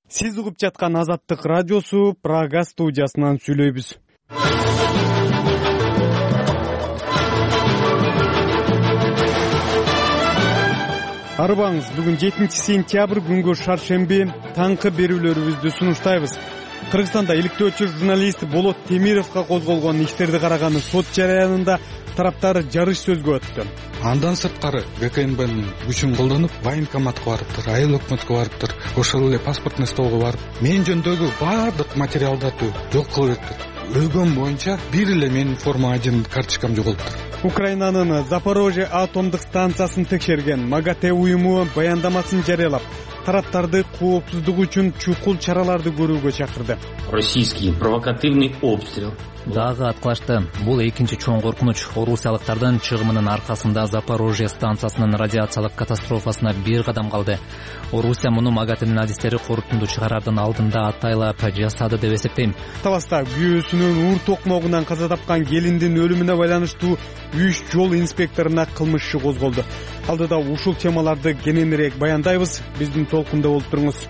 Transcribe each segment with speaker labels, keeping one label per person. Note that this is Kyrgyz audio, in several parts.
Speaker 1: Сиз угуп жаткан Азаттык радиосу Прага студиясынан сүйлөйбүз. Арыбаңыз, бүгүн 7-сентябрь күнгө шаршемби таңкы берүүлөрүбүздү сунуштайбыз. Кыргызстанда иликтөөчү журналист Болот Темировго козголгон иштерди караган сот жараянында тараптар жарыш сөзгө өттү.
Speaker 2: Андан сырткары ГКНБнын күчүн колдонуп, военкоматка барыптыр, айыл өкмөткө барыптыр, ошол эле паспортный столго барып, мен жөнүндөгү баардык материалдарды жок кылып бериптир. Өлгөн боюнча бир эле менин форма 1 карточкам жоголуптур.
Speaker 1: Украинанын Запорожье атомдук станциясын текшерген МАГАТЭ уюму баяндамасын жарыялап, тараптарды коопсуздук үчүн чукул чараларды көрүүгө чакырды.
Speaker 3: Российский провокативный обстрел
Speaker 4: дагы аткылашты. Бул экинчи чоң коркунуч. Орусиялыктардын чыгымынын аркасында Запорожье станциясынын радиациялык катастрофасына бир кадам калды. Орусия муну МАГАТЭнин адистери корутунду чыгарардын алдында атайлап жасады деп эсептейм.
Speaker 1: Таласта күйөөсүнүн уур токмогунан каза тапкан келиндин өлүмүнө байланыштуу 3 жол инспекторуна кылмыш иши козголду. Алдыда ушул темаларды кененирээк баяндайбыз. Биздин толкунда болуп туруңуз.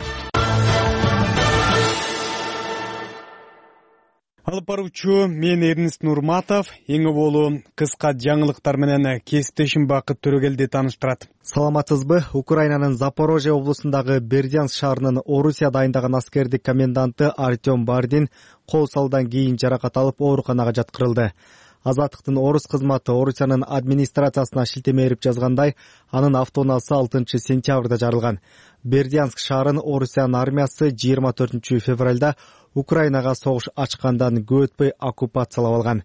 Speaker 1: Алып баруучу мен Эрнест Нурматов. Эң болуу кыска жаңылыктар менен кесиптешим Бакыт Төрөгелди тааныштырат.
Speaker 5: Саламатсызбы? Украинанын Запорожье облусундагы Бердянск шаарынын Орусия дайындаган аскердик коменданты Артем Бардин кол салуудан кийин жаракат алып ооруканага жаткырылды. Азаттыктын орус кызматы Орусиянын администрациясына шилтеме берип жазгандай, анын автоунаасы 6 сентябрда жарылган. Бердянск шаарын Орусиянын армиясы 24 февралда Украинага согуш ачкандан көп өтпөй оккупациялап алган.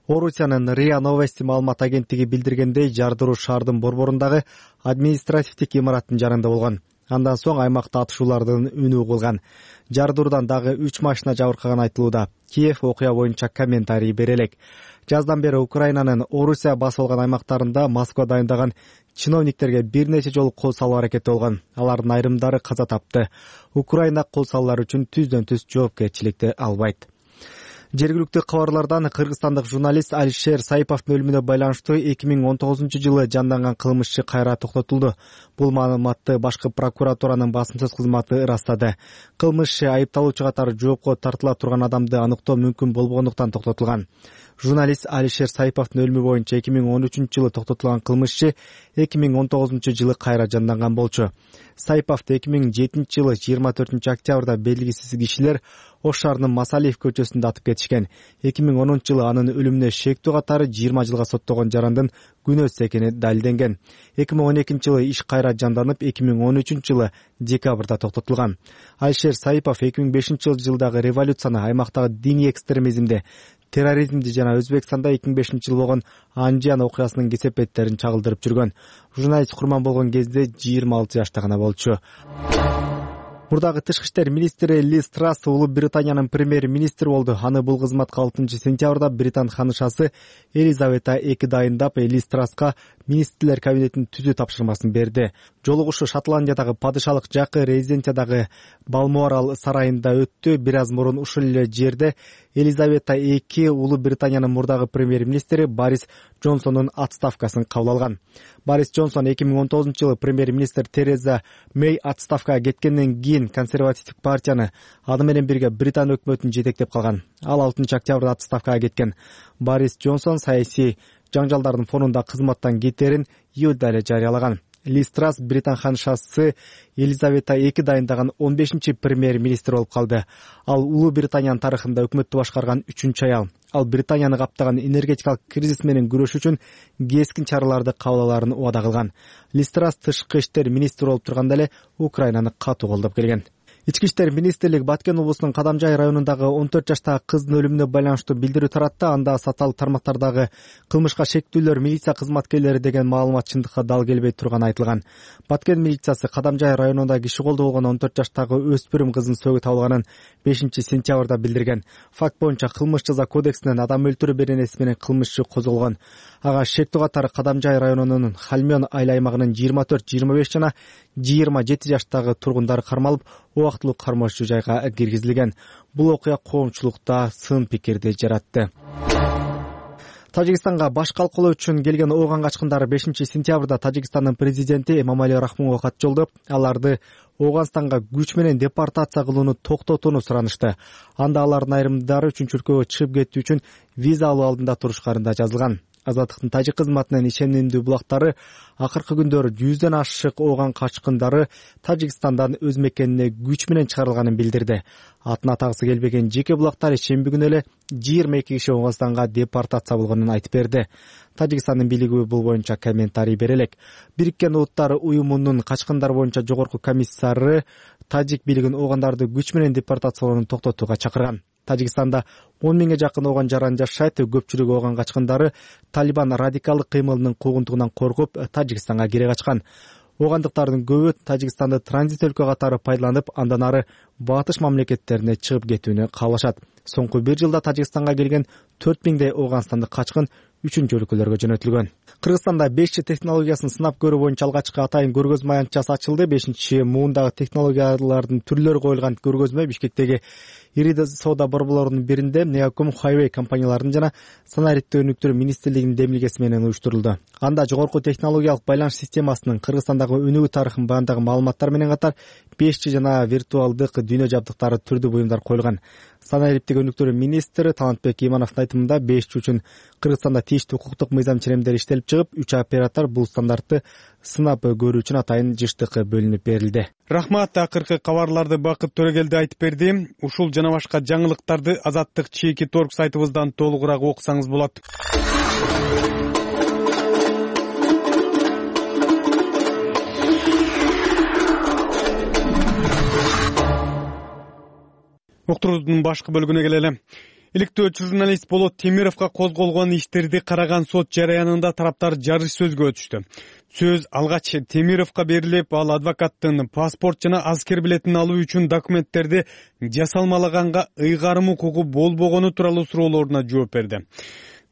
Speaker 5: Орусиянын РИА Новости маалымат агенттиги билдиргендей, жардыруу шаардын борборундагы административдик имараттын жанында болгон. Андан соң аймакта атышуулардын үнү угулган. Жардыруудан дагы 3 машина жабыркаган айтылууда. Киев окуя боюнча комментарий бере элек. Жаздан бери Украинанын Орусия басып алган аймактарында Москва дайындаган чиновниктерге бир нече жолу кол салуу аракети болгон. Алардын айрымдары каза тапты. Украина кол салуулар үчүн түздөн-түз жоопкерчиликти албайт. Жергиликтүү кабарлардан кыргызстандык журналист Алишер Саиповдун өлүмүнө байланыштуу 2019-жылы жанданган кылмыш иши кайра токтотулду. Бул маалыматты башкы прокуратуранын басымсыз кызматы ырастады. Кылмыш иши айыпталуучу катары жоопко тартыла турган адамды аныктоо мүмкүн болбогондуктан токтотулган. Журналист Алишер Саиповдун өлүмү боюнча 2013-жылы токтотулган кылмыш иши 2019-жылы кайра жанданган болчу. Саиповду 2007-жылы 24 октябрда белгисиз кишилер Ош шаарынын Масалиев көчөсүндө атып кетишкен. 2010-жылы анын өлүмүнө шектүү катары 20 жылга соттогон жарандын күнөөсүз экени далилденген. 2012-жылы иш кайра жанданып, 2013-жылы декабрда токтотулган. Алишер Саипов 2005-жылдагы революцияны, аймактагы диний экстремизмди, терроризмди жана Өзбекстанда 2005-жылы болгон Анжан окуясынын кесепеттерин чагылдырып жүргөн. Журналист курман болгон кезде 26 жашта гана болчу. Мурдагы тышкы иштер министри Лиз Трасс Улуу Британиянын премьер-министри болду. Аны бул кызматка 6 сентябрда Британ ханышасы Елизавета II дайындап, Лиз Трасска министрлер кабинетин түзүү тапшырмасын берди. Жолугушуу Шотландиядагы падышалык жакы резиденциядагы Балморал сарайында өттү. Бир аз мурун ушул эле жерде Елизавета II Улуу Британиянын мурдагы премьер-министри Борис Джонсондун отставкасын кабыл алган. Борис Джонсон 2019-жылы премьер-министр Тереза Мэй отставкага кеткенден кийин консервативдик партияны аны менен бирге Британ өкмөтүн жетектеп калган. Ал 6 октябрда отставкага кеткен. Борис Джонсон саясий жаңжалдардын фонунда кызматтан кетерин июлда эле жарыялаган. Лиз Трасс Британ ханышасы Елизавета II дайындаган 15-чи премьер-министр болуп калды. Ал Улуу Британиянын тарыхында өкмөттү башкарган 3-чү аял. Ал Британияны каптаган энергетикалык кризис менен күрөш үчүн кескин чараларды кабыл алаарын убада кылган. Лиз Трасс тышкы иштер министри болуп турганда эле Украинаны катуу колдоп келген. Ички иштер министрлиги Баткен облусунун Кадамжай районундагы 14 жаштагы кыздын өлүмүнө байланыштуу билдирүү таратты. Анда социалдык тармактардагы кылмышка шектүүлөр милиция кызматкерлери деген маалымат чындыкка дал келбей турганы айтылган. Баткен милициясы Кадамжай районунда киши колдоо болгон 14 жаштагы өспүрүм кыздын сөөгү табылганын 5 сентябрда билдирген. Факт боюнча кылмыш жаза кодексинин адам өлтүрүү беренеси менен кылмыш иши козголгон. Ага шектүү катары Кадамжай районунун Хальмён айыл аймагынын 24, 25 жана 27 жаштагы тургундары кармалып, убактылуу кармоочу жайга киргизилген. Бул окуя коомчулукта сын пикирди жаратты. Тажикстанга баш калкалоо үчүн келген ооган качкындар 5-сентябрда Тажикстандын президенти Эмомали Рахмонго кат жолдоп, аларды Ооганстанга күч менен депортация кылууну токтотууну суранышты. Анда алардын айрымдары үчүнчү өлкөгө чыгып кетүү үчүн виза алуу алдында турушканында жазылган. Азаттыктын тажик кызматынын ишенимдүү булактары акыркы күндөр 100дөн ашык ооган качкындары Тажикстандан өз мекенине күч менен чыгарылганын билдирди. Атын атагысы келбеген жеке булактар шемби күнү эле 22 киши Ооганстанга депортация болгонун айтып берди. Тажикстандын бийлиги бул боюнча комментарий бере элек. Бириккен Улуттар уюмунун качкындар боюнча жогорку комиссары тажик бийлигин оогандарды күч менен депортациялоону токтотууга чакырган. Тажикстанда 10 миңге жакын ооган жаран жашайт. Көпчүлүгү ооган качкындары Талибан радикалдык кыймылынын куугунтугунан коркуп Тажикстанга кире качкан. Оогандыктардын көбү Тажикстанды транзит өлкө катары пайдаланып, андан ары батыш мамлекеттерине чыгып кетүүнү каалашат. Соңку 1 жылда Тажикстанга келген 4000дей оогандыктардын качкын 3-чү өлкөлөргө жөнөтүлгөн. Кыргызстанда 5G технологиясын сынап көрүү боюнча алгачкы атайын көргөзмө аянтчасы ачылды. 5-муундагы технологиялардын түрлөрү коюлган көргөзмө Бишкектеги ири соода борборлорунун биринде Neocom Highway компанияларынын жана санариптик өнүктүрүү министрлигинин демилгеси менен уюштурулду. Анда жогорку технологиялык байланыш системасынын Кыргызстандагы өнүгүү тарыхын баяндаган маалыматтар менен катар 5G жана виртуалдык дүйнө жабдыктары түрдүү буюмдар коюлган. Санариптик өнүктүрүү министри Талантбек Имановдун айтымында 5G үчүн Кыргызстанда тийиштүү укуктук мыйзам ченемдери иштелип чыгып, 3 оператор бул стандартты сынап көрүү үчүн атайын жыштык бөлүнүп берилди.
Speaker 1: Рахмат, акыркы кабарларды Бакыт Төрөгелди айтып берди. Ушул жана башка жаңылыктарды Азаттык чеки торг сайтыбыздан толугураак окусаңыз болот. Уктуруудун башкы бөлүгүнө келели. Иликтөөчү журналист Болот Темировго козголгон иштерди караган сот жараянында тараптар жарыш сөзгө өтүштү. Сөз алгач Темировго берилип, ал адвокаттын паспорт жана аскер билетин алуу үчүн документтерди жасалмалаганга ыйгарым укугу болбогону тууралуу суроолоруна жооп берди.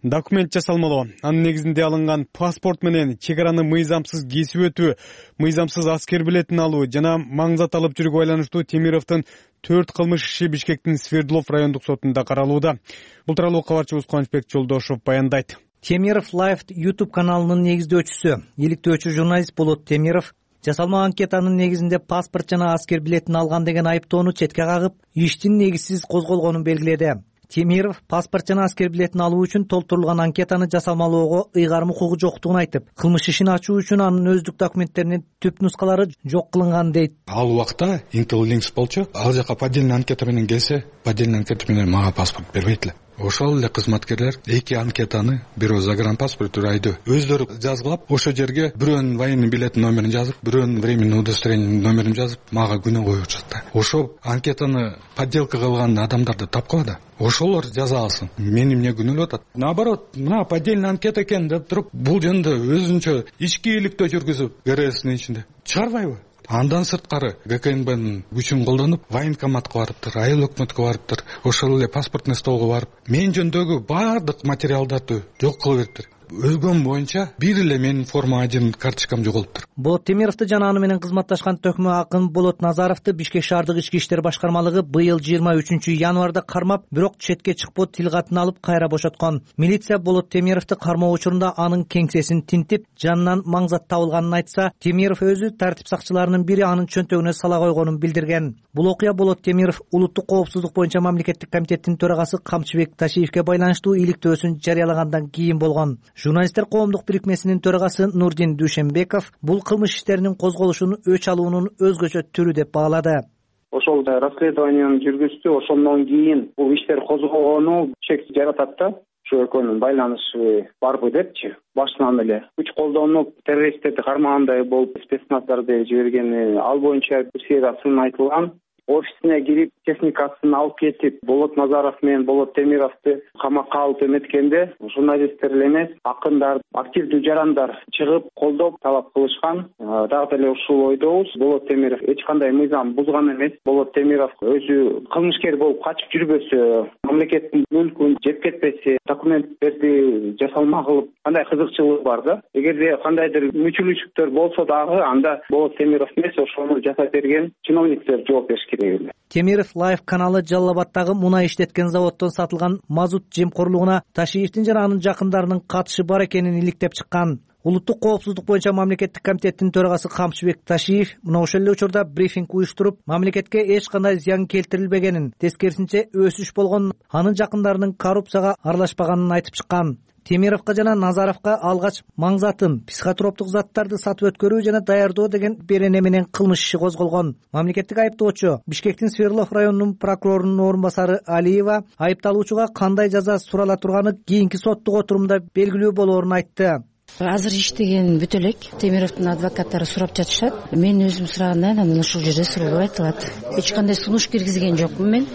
Speaker 1: Документ жасалмалоо, анын негизинде алынган паспорт менен чек араны мыйзамсыз кесип өтүү, мыйзамсыз аскер билетин алуу жана маңзат алып жүрүүгө байланыштуу Темировдун 4 кылмыш иши Бишкектин Свердлов райондук сотунда каралууда. Бул тууралуу кабарчыбыз Кубанычбек Жолдошов баяндайт.
Speaker 6: Темиров Live YouTube каналынын негиздөөчүсү, иликтөөчү журналист Болот Темиров жасалма анкетанын негизинде паспорт жана аскер билетин алган деген айыптоону четке кагып, иштин негизсиз козголгонун белгиледи. Темиров паспорт жана аскер билетин алуу үчүн толтурулган анкетаны жасалмалоого ыйгарым укугу жоктугун айтып, кылмыш ишин ачуу үчүн анын өздүк документтеринин түп нускалары жок кылынган дейт.
Speaker 2: Ал убакта Intel Links болчу, ал жака поддельный анкета менен келсе, поддельный анкета менен мага паспорт бербейт эле. Ошол эле кызматкерлер 2 анкетаны, бирөө загранпаспорт, бирөө өздөрү жазгылап, ошол жерге бирөөнүн военный билетин номерин жазып, бирөөнүн временный удостоверениянын номерин жазып, мага күнөө коюп жатты. Ошол анкетаны подделка кылган адамдарды тапкыла да. Ошолор жаза алсын. Мени эмне күнөөлөп атат? Наоборот, мына поддельный анкета экен деп туруп, бул жөнүндө өзүнчө ички иликтөө жүргүзүп, ГРСнин ичинде чыгарбайбы? Андан сырткары ГКНБнын күчүн колдонуп, военкоматка барыптыр, айыл өкмөткө барыптыр, ошол эле паспортный столго барып, мен жөнүндөгү баардык материалдарды жок кылып бериптир. Өлгөн боюнча бир эле менин форма 1 карточкам жоголуптур.
Speaker 6: Болот Темировду жана аны менен кызматташкан төкмө акын Болот Назаровду Бишкек шаардык ички иштер башкармалыгы быйыл 23-январда кармап, бирок четке чыкпоо тил катын алып кайра бошоткон. Милиция Болот Темировду кармоо учурунда анын кеңсесин тинтип, жанынан маңзат табылганын айтса, Темиров өзү тартип сакчыларынын бири анын чөнтөгүнө сала койгонун билдирген. Бул окуя Болот Темиров улуттук коопсуздук боюнча мамлекеттик комитеттин төрагасы Камчыбек Ташиевке байланыштуу иликтөөсүн жарыялагандан кийин болгон. Журналисттер коомдук бирикмесинин төрагасы Нурдин Дүйшенбеков бул кылмыш иштеринин козголушун өч алуунун өзгөчө түрү деп баалады.
Speaker 7: Ошол расследованияны жүргүздү, ошондон кийин бул иштер козголгону чек жаратат да, ушу экөөнүн байланышы барбы депчи. Башынан эле күч колдонуп, террористтерди кармагандай болуп, спецназдарды жибергени, ал боюнча бир сыйра сын айтылган. Офисине кирип, техникасын алып кетип, Болот Назаров менен Болот Темировду камакка алып эметкенде, журналисттер эле эмес, акындар, активдүү жарандар чыгып, колдоп, талап кылышкан. Дагы деле ушул ойдобуз. Болот Темиров эч кандай мыйзам бузган эмес. Болот Темиров өзү кылмышкер болуп качып жүрбөсө, мамлекеттин мүлкүн жеп кетпесе, документтерди жасалма кылып, кандай кызыкчылыгы бар да. Эгерде кандайдыр мүчүлүштүктөр болсо дагы, анда Болот Темиров эмес, ошону жасап берген чиновниктер жооп бериш керек. дегиле.
Speaker 6: Темиров Лайф каналы Жалал Абаддагы мунай иштеткен заводдон сатылган мазут жемкорлугуна Ташиевдин жана анын жакындарынын катышы бар экенин иликтеп чыккан. Улуттук коопсуздук боюнча мамлекеттик комитеттин төрагасы Камчыбек Ташиев мына ошол эле учурда брифинг уюштуруп, мамлекетке эч кандай зыян келтирилбегенин, тескерисинче өсүш болгонун, анын жакындарынын коррупцияга аралашпаганын айтып чыккан. Темировго жана Назаровго алгач маңзатын, психотроптук заттарды сатып өткөрүү жана даярдоо деген берене менен кылмыш иши козголгон. Мамлекеттик айыптоочу Бишкектин Свердлов районунун прокурорунун орун басары Алиева айыпталуучуга кандай жаза сурала турганы кийинки соттук отурумда белгилүү болоорун айтты.
Speaker 8: Азыр иштеген бүт элек Темировдун адвокаттары сурап жатышат. Мен өзүм сураганда анан ушул жерде суроолор айтылат. Эч кандай сунуш киргизген жокмун мен.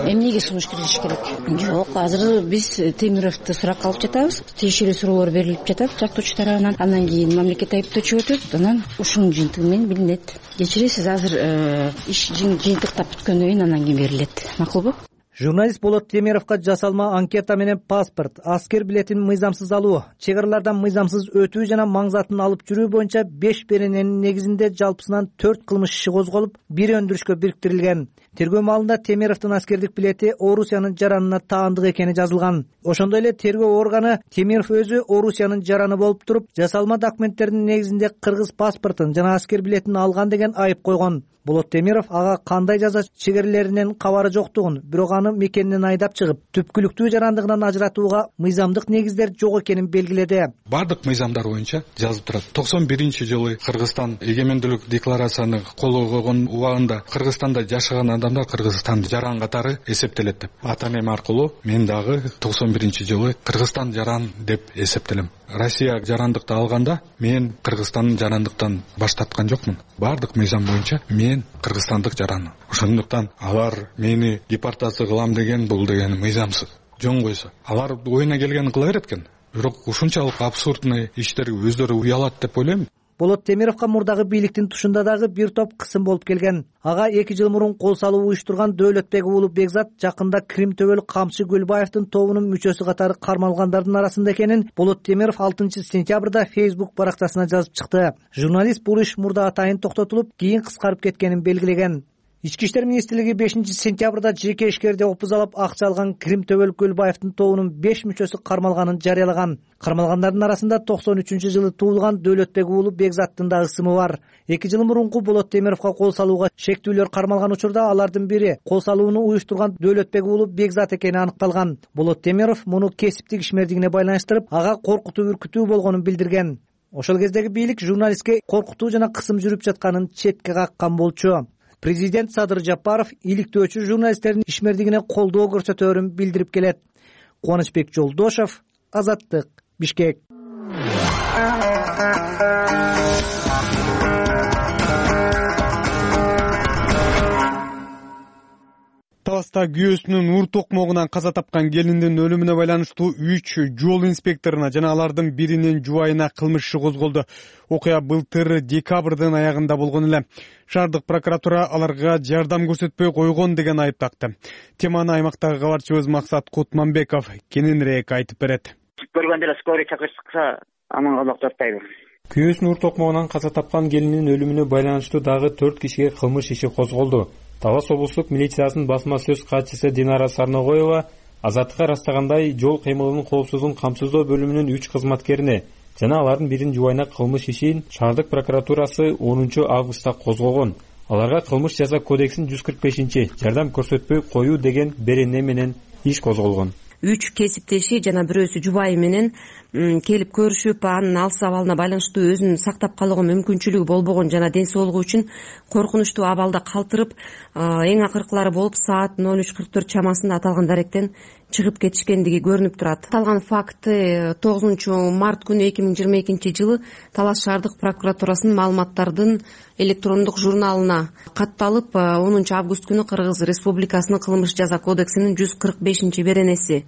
Speaker 8: Эмнеге сунуш киргизиш керек? Жок, азыр биз Темировду суракка алып жатабыз. Тиешелүү суроолор берилип жатат жактоочу тарабынан. Андан кийин мамлекет айыптоочу өтөт. Анан ушунун жыйынтыгы менен билинет. Кечиресиз, азыр иш жыйынтыктап бүткөндөн кийин андан кийин берилет. Макулбу?
Speaker 6: Журналист Болот Темировго жасалма анкета менен паспорт, аскер билетин мыйзамсыз алуу, чек аралардан мыйзамсыз өтүү жана маңзатын алып жүрүү боюнча 5 берененин негизинде жалпысынан 4 кылмыш иши козголуп, бир өндүрүшкө бириктирилген. Тергөө маалында Темировдун аскердик билети Орусиянын жаранына таандык экени жазылган. Ошондой эле тергөө органы Темиров өзү Орусиянын жараны болуп туруп, жасалма документтердин негизинде кыргыз паспортун жана аскер билетин алган деген айып койгон. Болот Темиров ага кандай жаза чегерилеринен кабары жоктугун, бирок аны мекенинен айдап чыгып, түпкүлүктүү жарандыгынан ажыратууга мыйзамдык негиздер жок экенин белгиледи.
Speaker 2: Бардык мыйзамдар боюнча жазып турат. 91-жылы Кыргызстан эгемендүүлүк декларацияны кол койгон убагында Кыргызстанда жашаган адамдар Кыргызстандын жаран катары эсептелет деп. Ата-энем аркылуу мен дагы 91-жылы Кыргызстан жаран деп эсептелем. Россия жарандыкты алганда мен Кыргызстандын жарандыктан баш тарткан жокмун. Бардык мыйзам боюнча мен кыргызстандык жаран. Ошондуктан алар мени депортация кылам деген бул деген мыйзамсыз. Жөн койсо алар оюна келгенин кыла берет экен. Бирок ушунчалык абсурдный иштерге өздөрү уялат деп ойлойм.
Speaker 6: Болот Темировго мурдагы бийликтин тушунда дагы бир топ кысым болуп келген. Ага 2 жыл мурун кол салуу уюштурган Дөөлөтбек уулу Бекзат жакында Крим төбөлүк камчы Гүлбаевдин тобунун мүчөсү катары кармалгандардын арасында экенин Болот Темиров 6 сентябрда Facebook барактасына жазып чыкты. Журналист бул иш мурда атайын токтотулуп, кийин кыскарып кеткенин белгилеген. Ички иштер министрлиги 5 сентябрда жеке ишкерди опузалап акча алган Крим төбөлүк Гүлбаевдин тобунун 5 мүчөсү кармалганын жарыялаган. Кармалгандардын арасында 93-жылы туулган Дөөлөтбек уулу Бекзаттын да ысымы бар. 2 жыл мурунку Болот Темировго кол салууга шектүүлөр кармалган учурда алардын бири кол салууну уюштурган Дөөлөтбек уулу Бекзат экени аныкталган. Болот Темиров муну кесиптик ишмердигине байланыштырып, ага коркутуу үркүтүү болгонун билдирген. Ошол кездеги бийлик журналистке коркутуу жана кысым жүрүп жатканын четке каккан болчу. Президент Садыр Жапаров иликтөөчү журналисттердин ишмердигине колдоо көрсөтөөрүн билдирип келет. Кубанычбек Жолдошов, Азаттык, Бишкек.
Speaker 1: Таласта күйөөсүнүн ур токмогунан каза тапкан келиндин өлүмүнө байланыштуу 3 жол инспекторуна жана алардын биринин жубайына кылмыш иши козголду. Окуя былтыр декабрдын аягында болгон эле. Шаардык прокуратура аларга жардам көрсөтпөй койгон деген айып такты. Теманы аймактагы кабарчыбыз Максат Кутманбеков кененирээк айтып берет.
Speaker 7: Көргөндө эле скорый чакыртса, аман калмак тартпайбыз.
Speaker 9: Күйөөсүнүн ур токмогунан каза тапкан келиндин өлүмүнө байланыштуу дагы 4 кишиге кылмыш иши козголду. Талас облустук милициясынын басма сөз катчысы Динара Сарногоева Азаттыкка ырастагандай жол кыймылынын коопсуздугун камсыздоо бөлүмүнүн 3 кызматкерине жана алардын биринин жубайына кылмыш ишин шаардык прокуратурасы 10 августта козгогон. Аларга кылмыш жаза кодексинин 145 жардам көрсөтпөй коюу деген берене менен иш козголгон.
Speaker 10: 3 кесиптеши жана бирөөсү жубайы менен келип көрүшүп, анын алыс абалына байланыштуу өзүн сактап калууга мүмкүнчүлүгү болбогон жана ден соолугу үчүн коркунучтуу абалда калтырып, эң акыркылары болуп саат 03:44 чамасында аталган даректен чыгып кетишкендиги көрүнүп турат. Аталган факт 9 март күнү 2022 жылы Талас шаардык прокуратурасынын маалыматтардын электрондук журналына катталып, 10 август күнү Кыргыз Республикасынын кылмыш жаза кодексинин 145 беренеси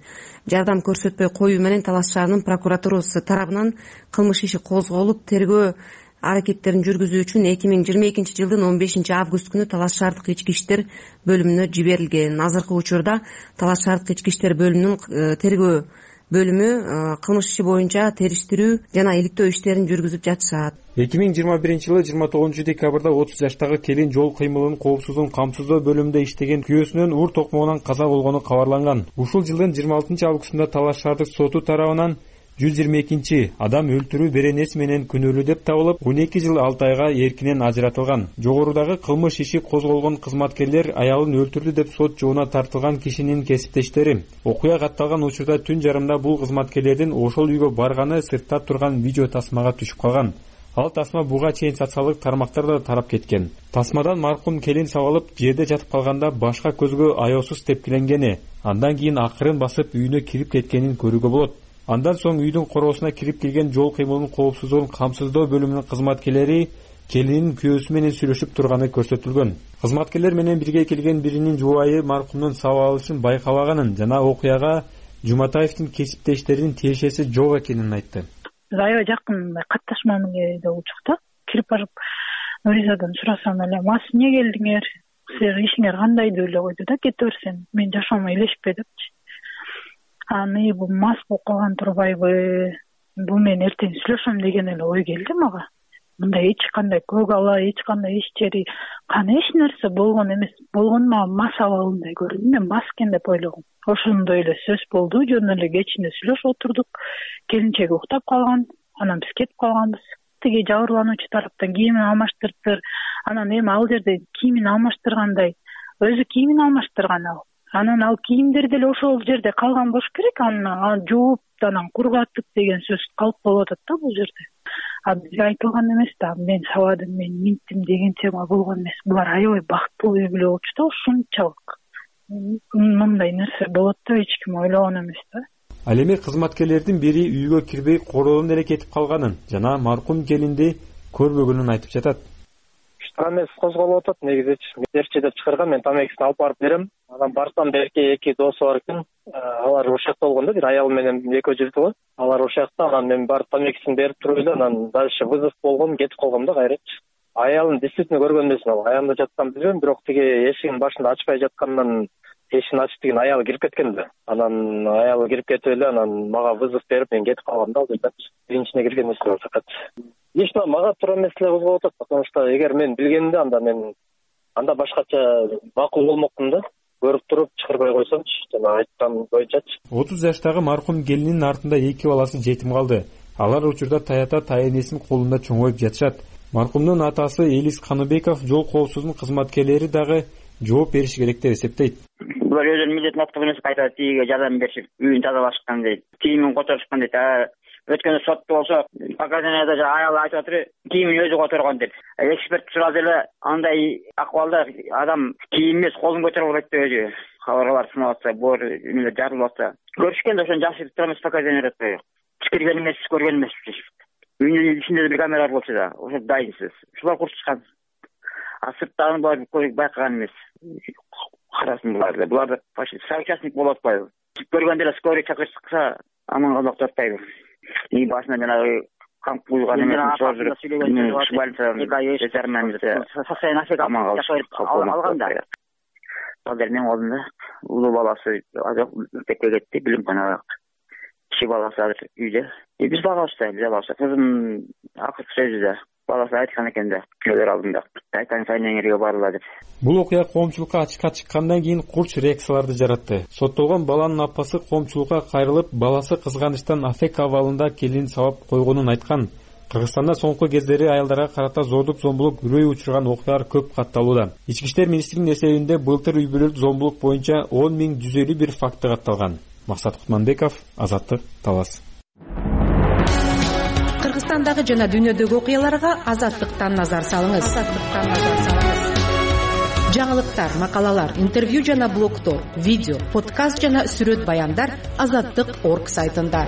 Speaker 10: жардам көрсөтпөй коюу менен Талас шаарынын прокуратурасы тарабынан кылмыш иши козголуп, тергөө аракеттерин жүргүзүү үчүн 2022 жылдын 15 август күнү Талас шаардык ички иштер бөлүмүнө жиберилген. Азыркы учурда Талас шаардык ички иштер бөлүмүнүн тергөө бөлүмү кылмыш иши боюнча териштирүү жана иликтөө иштерин жүргүзүп жатышат.
Speaker 9: 2021 жылы 29 декабрда 30 жаштагы келин жол кыймылынын коопсуздугун камсыздоо бөлүмүндө иштеген күйөөсүнүн ур токмогунан каза болгону кабарланган. Ушул жылдын 26 августунда Талаш шаардык соту тарабынан 122 адам өлтүрүү беренеси менен күнөөлүү деп табылып, 12 жыл 6 айга эркинен ажыратылган. Жогорудагы кылмыш иши козголгон кызматкерлер аялын өлтүрдү деп сот жоона тартылган кишинин кесиптештери. Окуя катталган учурда түн жарымда бул кызматкерлердин ошол үйгө барганы сыртта турган видео тасмага түшүп калган. Ал тасма буга чейин социалдык тармактарда тарап кеткен. Тасмадан маркум келин сабалып жерде жатып калганда башка көзгө аеосуз тепкиленгени, андан кийин акырын басып үйүнө кирип кеткенин көрүүгө болот. Андан соң үйдүн короосуна кирип келген жол кыймылынын коопсуздугун камсыздоо бөлүмүнүн кызматкерлери келинин күйөөсү менен сүйлөшүп турганы көрсөтүлгөн. Кызматкерлер менен бирге келген биринин жубайы маркумдун сабалышын байкабаганын жана окуяга Жуматаевдин кесиптештеринин тиешеси жок экенин айтты.
Speaker 11: Аябай жакын катташмамын деп учукта кирип барып Нуризадан сурасам эле, мас эмне келдиңер, силер ишиңер кандай деп эле койду да, кете берсен, мен жашоомо илешпе депчи. Аны бул мас болуп калган турбайбы, бул мен эртең сүйлөшөм деген эле ой келди мага. Мындай эч кандай көгала, эч кандай иш жери, кана эч нерсе болгон эмес, болгон мага мас абалындай көрүндү. Мен мас экен деп ойлогом. Ошондой эле сөз болду, жөн эле кечинде сүйлөшүп отурдук. Келинчеги уктап калган, анан биз кетип калганбыз. Тиги жабырлануучу тараптан кийимин алмаштырыптыр. Анан эми ал жерде кийимин алмаштыргандай, өзү кийимин алмаштырган ал. Анан ал кийимдер деле ошол жерде калган болуш керек, аны жууп, анан кургатып деген сөз калып болуп атат да бул жерде. Бизге айтылган эмес да, мен сабадым, мен минттим деген тема болгон эмес. Булар аябай бактылуу үй бүлө болчу да, ушунчалык. Мындай нерсе болот деп эч ким ойлогон эмес да.
Speaker 9: Ал эми кызматкерлердин бири үйгө кирбей короодон эле кетип калганын жана маркум келинди көрбөгөнүн айтып жатат.
Speaker 12: Эмес козголуп атат негизичи. Мерчи деп чыгарган, мен тамекисин алып барып берем. Анан барсам берки эки досу бар экен. Алар ушакта болгон да, бир аял менен экөө жүрдү го. Алар ушакта, анан мен барып тамекисин берип туруп эле, анан дальше вызов болгон, кетип калгам да кайрачы. Аялын действительно көргөн эмесмин, ал аянда жаткан билбейм, бирок тиги эшигин башында ачпай жаткандан эшигин ачып деген аялы кирип кеткен да. Анан аялы кирип кетип эле, анан мага вызов берип, мен кетип калгам да ал жерден. Биринчине кирген эмес факат. Иште мага туура эмес эле козголуп атат, потому что эгер мен билгенимде анда башкача макул болмокмун да. Көрүп туруп чыгарбай койсомчу, жана айткан боюнчачы.
Speaker 9: 30 жаштагы маркум келинин артында эки баласы жетим калды. Алар учурда таята тайэнесинин колунда чоңоюп жатышат. Маркумдун атасы Элис Каныбеков жол коопсуздугунун кызматкерлери дагы жооп бериши керек деп эсептейт.
Speaker 13: Булар өзүнүн милдетин аткарып эмес, кайта тиге жардам беришип, үйүн тазалашкан дейт. Кийимин которушкан дейт. Өткөндө сотто болсо, показанияда аял айтып атыр, кийимин өзү которгон деп. Эксперт сурады эле, андай акыбалда адам кийим эмес, колун көтөрө албайт деп өзү. Кабыргалар сынап атса, боор эмелер жарылып атса, көрүшкөндө ошону жашырып тура эмес, показания атпайбы. Чыкырган эмес, көргөн эмес. Үйүнүн ичинде бір камера болчу да, ошо дайынсыз. Шулар курчушкан. Сырттагы булар байкаган эмес. Карасын буларды. Буларды почти соучастник болуп атпайбы. Көргөндө эле скорый чакырса, аман калмак деп атпайбы. И башына жанагы камп куйган эмес, алганда. Азыр менин колумда улуу баласы мектепке кетти, билим канага. Киши баласы азыр үйдө. Биз багабыз да, кызым акыркы сөзү да. Баласы айткан экен да, көзөр алдында. Айтан сайнеңерге барыла деп.
Speaker 9: Бул окуя коомчулукка ачыкка чыккандан кийин курч реакцияларды жаратты. Соттолгон баланын апасы коомчулукка кайрылып, баласы кызганычтан аффект абалында келин сабап койгонун айткан. Кыргызстанда соңку кездери аялдарга карата зордук зомбулук үрөй учурган окуялар көп катталууда. Ички иштер министринин эсебинде былтыр үй бүлөлүк зомбулук боюнча 10.151 факты катталган. Максат Кутманбеков, Азаттык, Талас.
Speaker 14: Кыргызстандагы жана дүйнөдөгү окуяларга Азаттыктан назар салыңыз. Жаңылыктар, макалалар, интервью жана блогтор, видео, подкаст жана сүрөт баяндар Азаттык.org сайтында.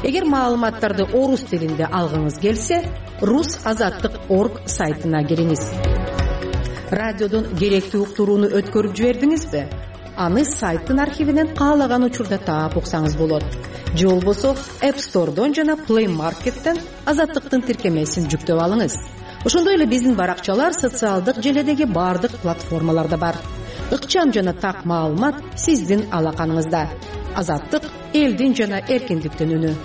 Speaker 14: Эгер маалыматтарды орус тилинде алгыңыз келсе, rus.azattik.org сайтына кириңиз. Радиодон керектүү уктурууну өткөрүп жибердиңизби? Аны сайттын архивинен каалаган учурда таап уксаңыз болот. Же болбосо App Store'дон жана Play Market'тен Азаттыктын тиркемесин жүктөп алыңыз. Ошондой эле биздин баракчалар социалдык желедеги бардык платформаларда бар. Ыкчам жана так маалымат сиздин алаканыңызда. Азаттык — элдин жана эркиндиктин үнү.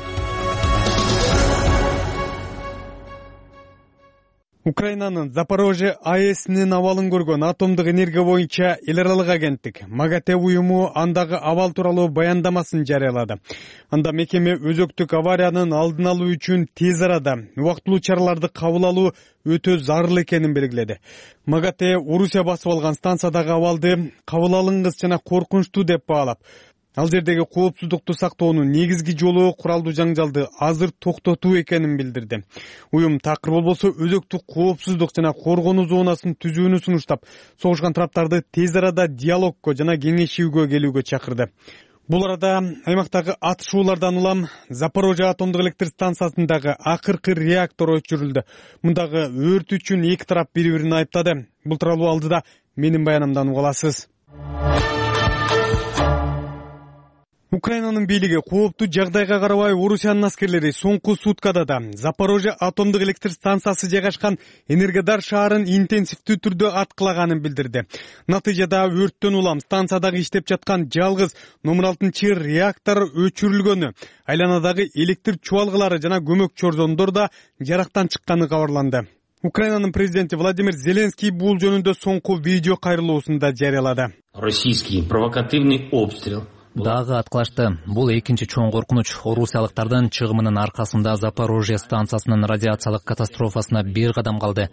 Speaker 1: Украинанын Запорожье АЭСинин абалын көргөн атомдук энергия боюнча эл аралык агенттик МАГАТЭ уюму андагы абал тууралуу баяндамасын жарыялады. Анда мекеме өзөктүк авариянын алдын алуу үчүн тез арада убактылуу чараларды кабыл алуу өтө зарыл экенин белгиледи. МАГАТЭ Орусия басып алган станциядагы абалды кабыл алынгыс жана коркунучтуу деп баалап, ал жердеги коопсуздукту сактоонун негизги жолу куралдуу жаңжалды азыр токтотуу экенин билдирди. Уюм такыр болбосо өзөктүк коопсуздук жана коргонуу зонасын түзүүнү сунуштап, согушкан тараптарды тез арада диалогко жана кеңешүүгө келүүгө чакырды. Бул арада аймактагы атышуулардан улам Запорожье атомдук электр станциясындагы акыркы реактор өчүрүлдү. Мундагы өрт үчүн эки тарап бири-бирин айыптады. Бул тууралуу алдыда менин баянымдан уга аласыз. Украинанын бийлиги кооптуу жагдайга карабай Орусиянын аскерлери соңку суткада да Запорожье атомдук электр станциясы жайгашкан Энергодар шаарын интенсивдүү түрдө аткылаганын билдирди. Натыйжада өрттөн улам станциядагы иштеп жаткан жалгыз номер 6 реактор өчүрүлгөнү, айланадагы электр чубалгылары жана көмөк чорзондор да жарактан чыкканы кабарланды. Украинанын президенти Владимир Зеленский бул жөнүндө соңку видео кайрылуусунда жарыялады.
Speaker 3: Российский провокативный обстрел.
Speaker 4: Дагы аткылашты. Бул экинчи чоң коркунуч. Орусиялыктардын чыгымынын аркасында Запорожье станциясынын радиациялык катастрофасына бир кадам калды.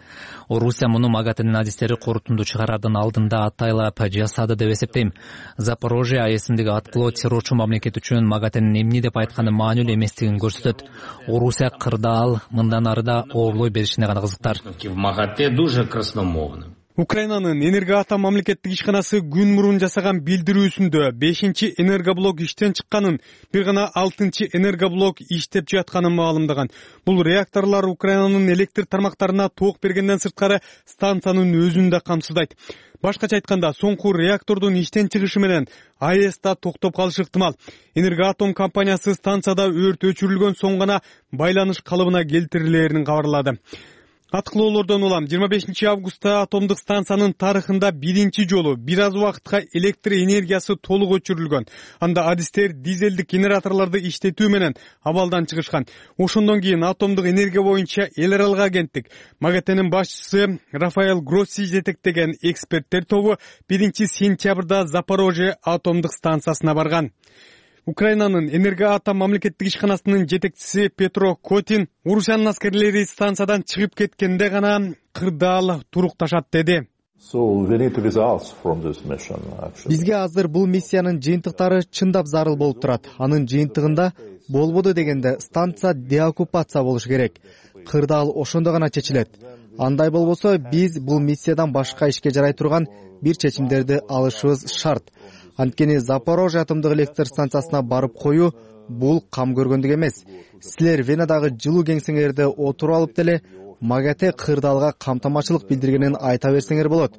Speaker 4: Орусия муну МАГАТЭнин адистери корутунду чыгарардын алдында атайлап жасады деп эсептейм. Запорожье АЭСиндеги аткылоо террорчу мамлекет үчүн МАГАТЭнин эмне деп айтканы маанилүү эместигин көрсөтөт. Орусия кырдаал мындан ары да оолой беришине гана кызыктар.
Speaker 3: В МАГАТЭ дуже красномовно.
Speaker 1: Украинанын Энергоатом мамлекеттик ишканасы күн мурун жасаган билдирүүсүндө 5-чи энергоблок иштен чыкканын, бир гана 6-чы энергоблок иштеп жатканын маалымдаган. Бул реакторлор Украинанын электр тармактарына ток бергенден сырткары станциянын өзүн да камсыздайт. Башкача айтканда, соңку реактордун иштен чыгышы менен АЭС да токтоп калышы ыктымал. Энергоатом компаниясы станцияда өрт өчүрүлгөн соң гана байланыш калыбына келтирилээрин кабарлады. Аткылоолордон улам 25 августта атомдук станциянын тарыхында биринчи жолу бир аз убакытка электр энергиясы толук өчүрүлгөн. Анда адистер дизелдик генераторлорду иштетүү менен абалдан чыгышкан. Ошондон кийин атомдук энергия боюнча эл аралык агенттик МАГАТЭнин башчысы Рафаэл Гросси жетектеген эксперттер тобу 1-сентябрда Запорожье атомдук станциясына барган. Украинанын Энергоатом мамлекеттик ишканасынын жетекчиси Петро Котин Орусиянын аскерлери станциядан чыгып кеткенде гана кырдаал турукташат деди.
Speaker 5: Бизге азыр бул миссиянын жыйынтыктары чындап зарыл болуп турат. Анын жыйынтыгында болбоду дегенде станция деоккупация болуш керек. Кырдаал ошондо гана чечилет. Андай болбосо биз бул миссиядан башка ишке жарай турган бир чечимдерди алышыбыз шарт. Анткени Запорожье атомдук электр станциясына барып коюу бул кам көргөндүк эмес. Силер Венадагы жылуу кеңсеңерде отуруп алып деле МАГАТЭ кырдаалга камтамачылык билдиргенин айта берсеңер болот.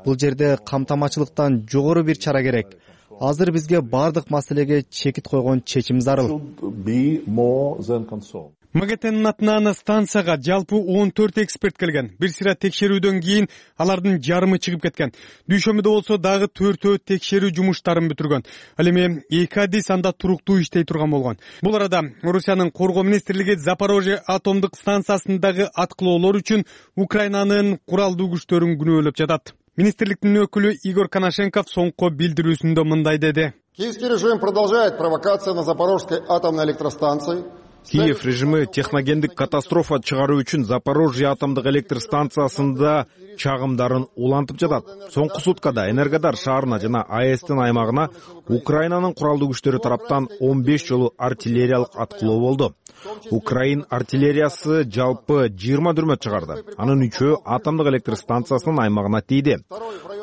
Speaker 5: Бул жерде камтамачылыктан жогору бир чара керек. Азыр бизге бардык маселеге чекит койгон чечим зарыл.
Speaker 1: МАГАТЭнин атынан станцияга жалпы 14 эксперт келген. Бир сыра текшерүүдөн кийин алардын жарымы чыгып кеткен. Дүйшөмбүдө болсо дагы 4 текшерүү жумуштарын бүтүргөн. Ал эми 2 адис анда туруктуу иштей турган болгон. Бул арада Орусиянын коргоо министрлиги Запорожье атомдук станциясындагы аткылоолор үчүн Украинанын куралдуу күчтөрүн күнөөлөп жатат. Министрликтин өкүлү Игорь Коношенков соңку билдирүүсүндө мындай деди.
Speaker 15: Киевский режим продолжает провокацию на Запорожской атомной электростанции.
Speaker 16: Киев режими техногендик катастрофа чыгаруу үчүн Запорожье атомдук электр станциясында чагымдарын улантып жатат. Соңку суткада Энергодар шаарына жана АЭСтин аймагына Украинанын куралдуу күчтөрү тараптан 15 жолу артиллериялык аткылоо болду. Украин артиллериясы жалпы 20 дүрмөт чыгарды. Анын 3-өө атомдук электр станциясынын аймагына тийди.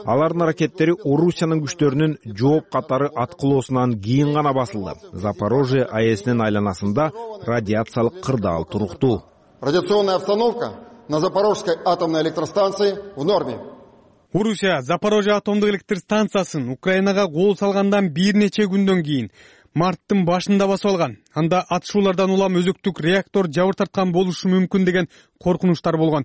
Speaker 16: Алардын аракеттери Орусиянын күчтөрүнүн жооп катары аткылоосунан кийин гана басылды. Запорожье АЭСинин айланасында радиациялык кырдаал туруктуу.
Speaker 15: Радиационная обстановка на Запорожской атомной электростанции в норме.
Speaker 1: Орусия Запорожье атомдук электр станциясын Украинага кол салгандан бир нече күндөн кийин марттын башында басып алган. Анда атышуулардан улам өзөктүк реактор жабыр тарткан болушу мүмкүн деген коркунучтар болгон.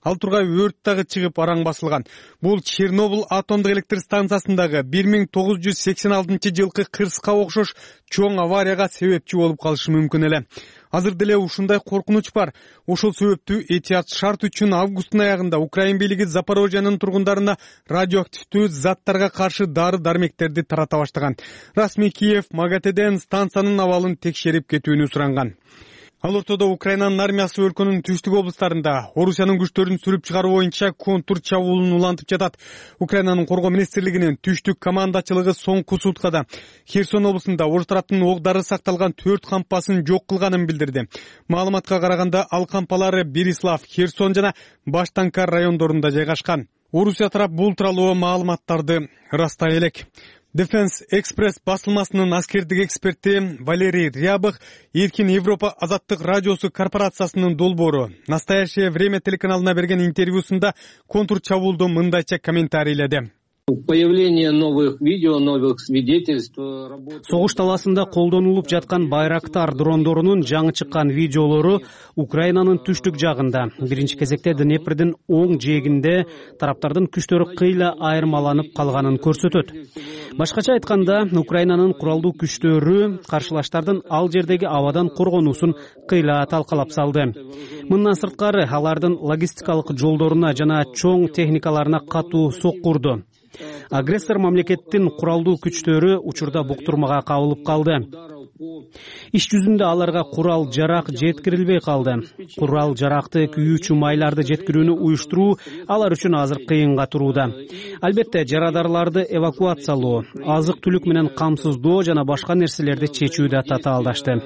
Speaker 1: Ал тургай өрт дагы чыгып араң басылган. Бул Чернобыль атомдук электр станциясындагы 1986-жылкы кырсыка окшош чоң аварияга себепчи болуп калышы мүмкүн эле. Азыр деле ушундай коркунуч бар. Ошол себептүү этият шарт үчүн августтун аягында Украин бийлиги Запорожьянын тургундарына радиоактивдүү заттарга каршы дары-дармектерди тарата баштаган. Расмий Киев МАГАТЭден станциянын абалын текшерип кетүүнү суранган. Ал ортодо Украинанын армиясы өлкөнүн түштүк облустарында Орусиянын күчтөрүн сүрүп чыгаруу боюнча контур чабуулун улантып жатат. Украинанын коргоо министрлигинин түштүк командачылыгы соңку суткада Херсон облусунда Орус тараптын ок-дары сакталган 4 кампасын жок кылганын билдирди. Маалыматка караганда ал кампалары Берислав, Херсон жана Баштанкар райондорунда жайгашкан. Орусия тарап бул тууралуу маалыматтарды ырастай элек. Defense Express басылмасынын аскердик эксперти Валерий Рябых Эркин Европа азаттык радиосу корпорациясынын долбоору «Настоящее время» телеканалына берген интервьюсунда контур чабуулду мындайча комментарийледи.
Speaker 17: Появление новых видео, новых свидетельств.
Speaker 18: Согуш таласында колдонулуп жаткан Байрактар дрондорунун жаңы чыккан видеолору Украинанын түштүк жагында, биринчи кезекте Днепрдин оң жээгинде тараптардын күчтөрү кыйла айырмаланып калганын көрсөтөт. Башкача айтканда, Украинанын куралдуу күчтөрү каршылаштардын ал жердеги абадан коргонуусун кыйла талкалап салды. Мындан сырткары алардын логистикалык жолдоруна жана чоң техникаларына катуу сокку урду. Агрессор мамлекеттин куралдуу күчтөрү учурда буктурмага кабылып калды. Иш жүзүндө аларга курал жарак жеткирилбей калды. Курал жаракты күйүүчү майларды жеткирүүнү уюштуруу алар үчүн азыр кыйынга турууда. Албетте, жарадарларды эвакуациялоо, азык-түлүк менен камсыздоо жана башка нерселерди чечүүдө татаалдашты.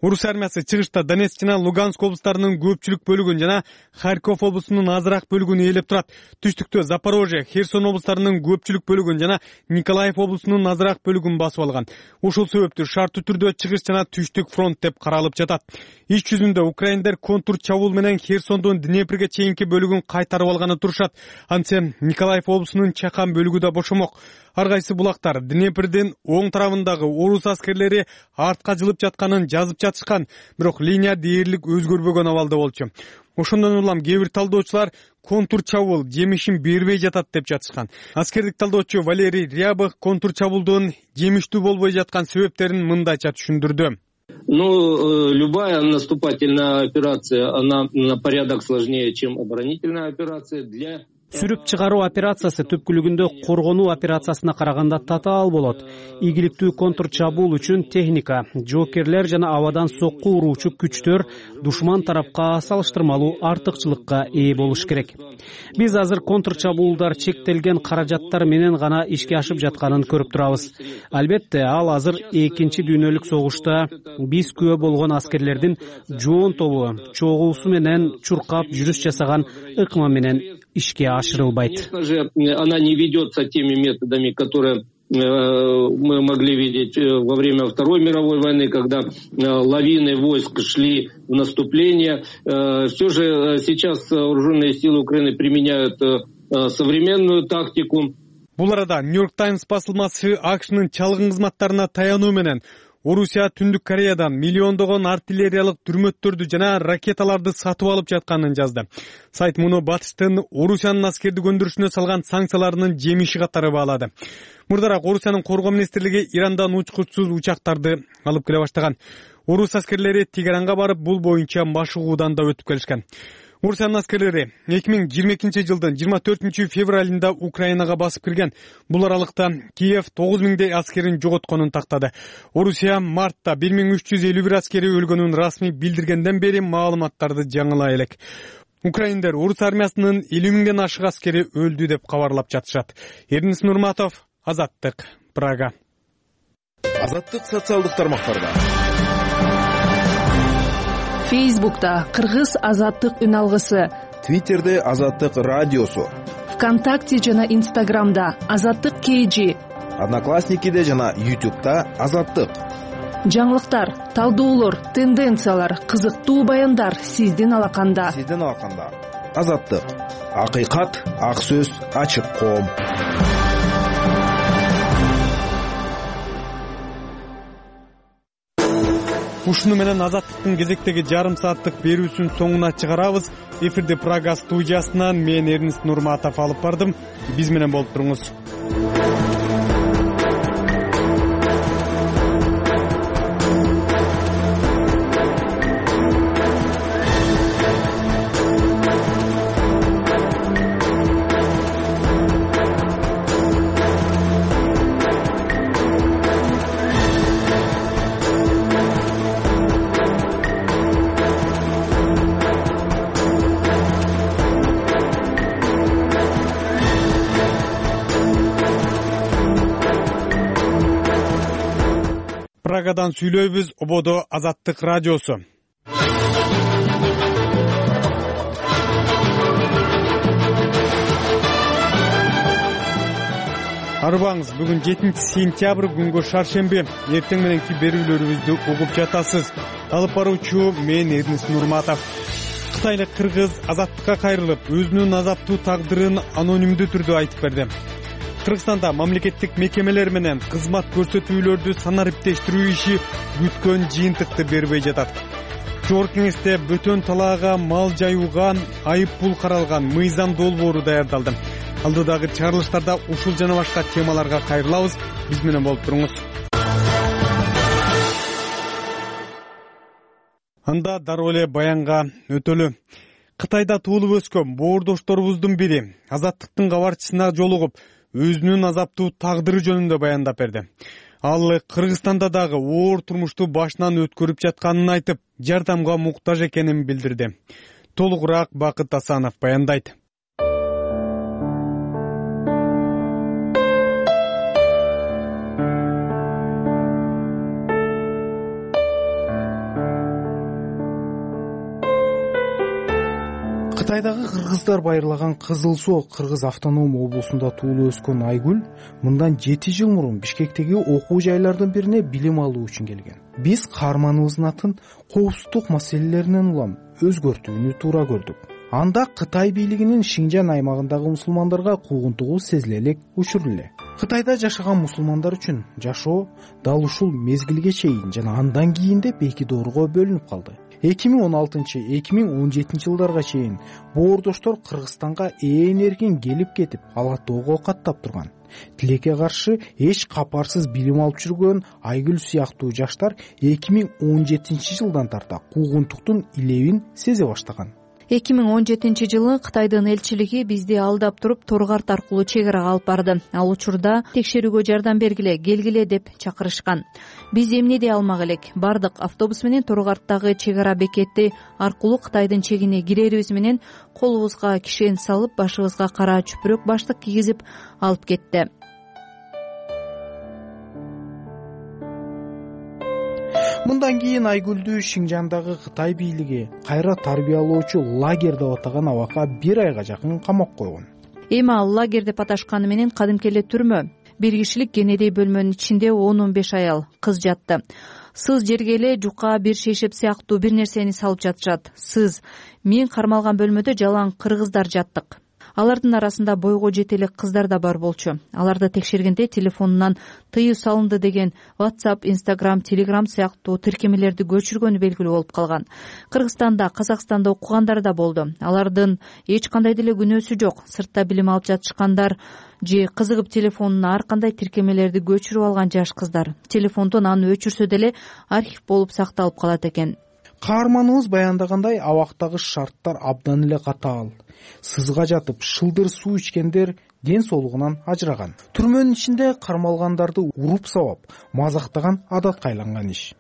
Speaker 1: Орус армиясы чыгышта Донецк жана Луганск облустарынын көпчүлүк бөлүгүн жана Харьков облусунун азыраак бөлүгүн ээлеп турат. Түштүктө Запорожье, Херсон облустарынын көпчүлүк бөлүгүн жана Николаев облусунун азыраак бөлүгүн басып алган. Ошол себептүү шарттуу түрдө чыгыш жана түштүк фронт деп каралып жатат. Иш жүзүндө украиндер контур чабуул менен Херсондун Днепрге чейинки бөлүгүн кайтарып алганы турушат. Антсе Николаев облусунун чакан бөлүгү да бошомок. Ар кайсы булактар Днепрдин оң тарабындагы орус аскерлери артка жылып жатканын жазып жатышкан, бирок линия дээрлик өзгөрбөгөн абалда болчу. Ошондон улам кээ бир талдоочулар контур чабуул жемишин бербей жатат деп жатышкан. Аскердик талдоочу Валерий Рябых контур чабуулдун жемиштүү болбой жаткан себептерин мындайча түшүндүрдү.
Speaker 17: Любая наступательная операция, она на порядок сложнее, чем оборонительная операция.
Speaker 18: Сүрүп чыгаруу операциясы түпкүлүгүндө коргонуу операциясына караганда татаал болот. Ийгиликтүү контур чабуул үчүн техника, жоокерлер жана абадан сокку уруучу күчтөр душман тарапка салыштырмалуу артыкчылыкка ээ болуш керек. Биз азыр контур чабуулдар чектелген каражаттар менен гана ишке ашып жатканын көрүп турабыз. Албетте, ал азыр экинчи дүйнөлүк согушта биз күбө болгон аскерлердин жоон тобу чогуусу менен чуркап жүрүш жасаган ыкма менен ишке ашырылбайт.
Speaker 17: Конечно же, она не ведется теми методами, которые мы могли видеть во время Второй мировой войны, когда лавины войск шли в наступление. Все же сейчас вооруженные силы Украины применяют современную тактику.
Speaker 1: Бул арада Нью-Йорк Таймс басылмасы АКШнын чалгын кызматтарына таянуу менен Орусия Түндүк Кореядан миллиондогон артиллериялык дүрмөттөрдү жана ракеталарды сатып алып жатканын жазды. Сайт муну батыштын Орусиянын аскердик өндүрүшүнө салган санкцияларынын жемиши катары баалады. Мурдараак Орусиянын коргоо министрлиги Ирандан учкучсуз учактарды алып келе баштаган. Орус аскерлери Тегеранга барып, бул боюнча машыгуудан да өтүп келишкен. Орусиянын аскерлери 2022-жылдын 24 февралында Украинага басып кирген. Бул аралыкта Киев 9000 аскерин жоготконун тактады. Орусия мартта 1351 аскери өлгөнүн расмий билдиргенден бери маалыматтарды жаңылай элек. Украиндер орус армиясынын 50 000ден ашык аскери өлдү деп кабарлап жатышат. Эрнис Нурматов, Азаттык, Прага.
Speaker 19: Азаттык социалдык тармактарда.
Speaker 14: Фейсбукта Кыргыз азаттык үн алгысы,
Speaker 19: Твиттерде Азаттык радиосу,
Speaker 14: ВКонтакте жана Инстаграмда Азаттык KG,
Speaker 19: Одноклассникиде жана YouTube'да Азаттык.
Speaker 14: Жаңылыктар, талдоолор, тенденциялар, кызыктуу баяндар сиздин алаканда.
Speaker 19: Азаттык. Акыйкат, ак сөз, ачык коом.
Speaker 14: —
Speaker 1: ушуну менен Азаттыктын кезектеги жарым сааттык берүүсүн соңуна чыгарабыз. Эфирди Прага студиясынан мен Эрнест Нурматов алып бардым. Биз менен болуп туруңуз. Прагадан сүйлөйбүз, ободо Азаттык радиосу. Арбаңыз, бүгүн 7-сентябрь, күнгө шаршемби. Эртең мененки берүүлөрүбүздү угуп жатасыз. Алып баруучу мен Эрнест Нурматов. Кытайлык кыргыз Азаттыкка кайрылып, өзүнүн азаптуу тагдырын анонимдүү түрдө айтып берди. Кыргызстанда мамлекеттик мекемелер менен кызмат көрсөтүүлөрдү санариптештирүү иши күткөн жыйынтыкты бербей жатат. Жогорку кеңеште бөтөн талаага мал жаюуга айып пул каралган мыйзам долбоору даярдалды. Алдыдагы чыгарылыштарда ушул жана башка темаларга кайрылабыз. Биз менен болуп туруңуз. Анда дароо эле баянга өтөлү. Кытайда туулуп өскөн боордошторубуздун бири Азаттыктын кабарчысына жолугуп, өзүнүн азаптуу тагдыры жөнүндө баяндап берди. Ал Кыргызстанда дагы оор турмушту башынан өткөрүп жатканын айтып, жардамга муктаж экенин билдирди. Толугураак Бакыт Асанов баяндайт.
Speaker 20: Кытайдагы кыргыздар байырлаган Кызыл Суу Кыргыз автоном облусунда туулуп өскөн Айгүл мындан 7 жыл мурун Бишкектеги окуу жайлардын бирине билим алуу үчүн келген. Биз каарманыбыздын атын коопсуздук маселелеринен улам өзгөртүүнү туура көрдүк. Анда Кытай бийлигинин Шинжан аймагындагы мусулмандарга куугунтугу сезиле элек учур эле. Кытайда жашаган мусулмандар үчүн жашоо дал ушул мезгилге чейин жана андан кийин деп эки доорго бөлүнүп калды. 2016-2017 жылдарга чейин боордоштор Кыргызстанга ээн эркин келип кетип, ала тоого каттап турган. Тилекке каршы эч капарсыз билим алып жүргөн Айгүл сыяктуу жаштар 2017 жылдан тарта куугунтуктун илебин сезе баштаган.
Speaker 21: 2017 жылы Кытайдын элчилиги бизди алдап туруп Торгарт аркылуу чек арага алып барды. Ал учурда текшерүүгө жардам бергиле, келгиле деп чакырышкан. Биз эмне дей алмак элек. Бардык автобус менен Торгарттагы чек ара бекети аркылуу Кытайдын чегине кирерибиз менен колубузга кишен салып, башыбызга кара чүпүрөк баштык кийгизип алып кетти.
Speaker 20: Мындан кийин Айгүлдү Шинжандагы Кытай бийлиги кайра тарбиялоочу лагерь деп атаган абакка 1 айга жакын камап койгон.
Speaker 21: Эми ал лагерь деп аташканы менен кадимки эле түрмө. 1 кишилик кенедей бөлмөнүн ичинде 10-15 аял кыз жатты. Сыз жерге эле жука, бир шейшеп сыяктуу бир нерсени салып жатышат. Сыз, мен кармалган бөлмөдө жалаң кыргыздар жаттык. Алардын арасында бойго жете элек кыздар да бар болчу. Аларды текшергенде телефонунан тыюу салынды деген WhatsApp, Instagram, Telegram сыяктуу тиркемелерди көчүргөнү белгилүү болуп калган. Кыргызстанда, Казакстанда окугандар да болду. Алардын эч кандай деле күнөөсү жок. Сыртта билим алып жатышкандар же кызыгып телефонуна ар кандай тиркемелерди көчүрүп алган жаш кыздар. Телефондон аны өчүрсө деле архив болуп сакталып калат экен.
Speaker 20: Каарманыбыз баяндагандай, абактагы шарттар абдан эле катаал. Сызга жатып, шылдыр суу ичкендер ден соолугунан ажыраган. Түрмөнүн ичинде кармалгандарды уруп сабап, мазактаган адатка айланган иш.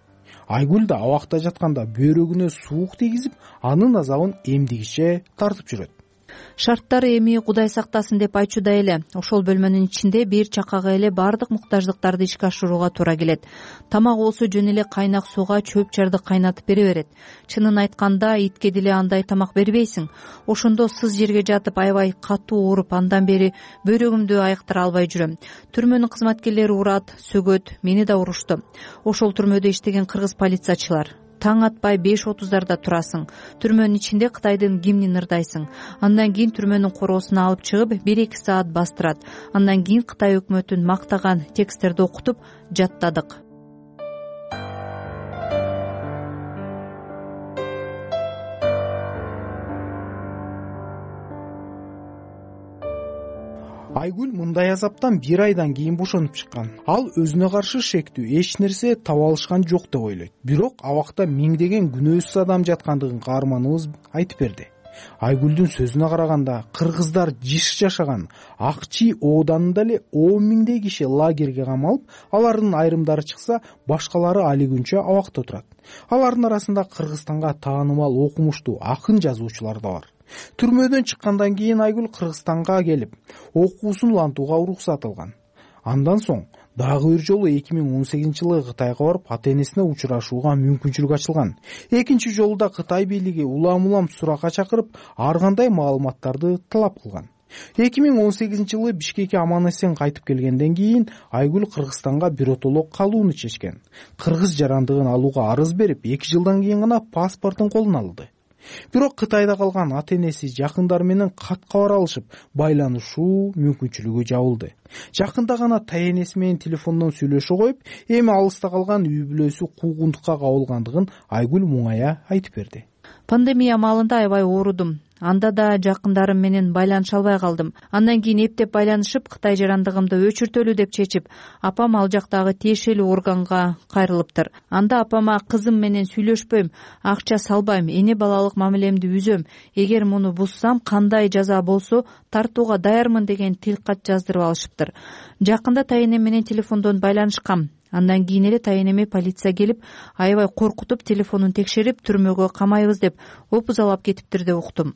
Speaker 20: Айгүл да абакта жатканда бөөрөгүнө суук тийгизип, анын азабын эмдигиче тартып жүрөт.
Speaker 21: Шарттар эми Кудай сактасын деп айтчуда эле. Ошол бөлмөнүн ичинде бир чакага эле бардык муктаждыктарды ишке ашырууга туура келет. Тамак болсо жөн эле кайнак сууга чөп чарды кайнатып бере берет. Чынын айтканда, итке деле андай тамак бербейсиң. Ошондо сыз жерге жатып аябай катуу ооруп, андан бери бөөрөгүмдү айыктыра албай жүрөм. Түрмөнүн кызматкерлери урат, сөгөт, мени да урушту. Ошол түрмөдө иштеген кыргыз полициячылар. Таң атпай 5:30 турасың. Түрмөнүн ичинде Кытайдын гимнин ырдайсың. Андан кийин түрмөнүн короосуна алып чыгып 1-2 саат бастырат. Андан кийин Кытай өкмөтүн мактаган тексттерди окутуп жаттадык.
Speaker 20: Айгүл мындай азаптан 1 айдан кийин бошонуп чыккан. Ал өзүнө каршы шектүү эч нерсе таба алышкан жок деп ойлойт. Бирок абакта миңдеген күнөөсүз адам жаткандыгын каарманыбыз айтып берди. Айгүлдүн сөзүнө караганда кыргыздар жыш жашаган Акчи ооданында эле 10 миңдей киши лагерге камалып, алардын айрымдары чыкса, башкалары али күнчө абакта турат. Алардын арасында Кыргызстанга таанымал окумуштуу акын жазуучулар да бар. Түрмөдөн чыккандан кийин Айгүл Кыргызстанга келип, окуусун улантууга уруксат алган. Андан соң дагы бир жолу 2018-жылы Кытайга барып, ата-энесине учурашууга мүмкүнчүлүк ачылган. Экинчи жолу да Кытай бийлиги улам суракка чакырып, ар кандай маалыматтарды талап кылган. 2018-жылы Бишкекке аман эсен кайтып келгенден кийин Айгүл Кыргызстанга биротоло калууну чечкен. Кыргыз жарандыгын алууга арыз берип, 2 жылдан кийин гана паспортун колуна алды. Бирок Кытайда калган ата-энеси, жакындары менен кат кабар алышып, байланышуу мүмкүнчүлүгү жабылды. Жакында гана тайенеси менен телефондон сүйлөшө коюп, эми алыста калган үй бүлөсү куугунтукка кабылгандыгын Айгүл муңая айтып берди.
Speaker 21: Пандемия маалында аябай оорудум. Анда да жакындарым менен байланыша албай калдым. Андан кийин эптеп байланышып, Кытай жарандыгымды өчүртөлү деп чечип, апам ал жактагы тиешелүү органга кайрылыптыр. Анда апама кызым менен сүйлөшпөйм, акча салбайм, эне балалык мамилемди үзөм. Эгер муну буссам, кандай жаза болсо тартууга даярмын деген тил кат жаздырып алышыптыр. Жакында тайенем менен телефондон байланышкам. Андан кийин эле тайенеме полиция келип, аябай коркутуп, телефонун текшерип, түрмөгө камайбыз деп опузалап кетиптир деп уктум.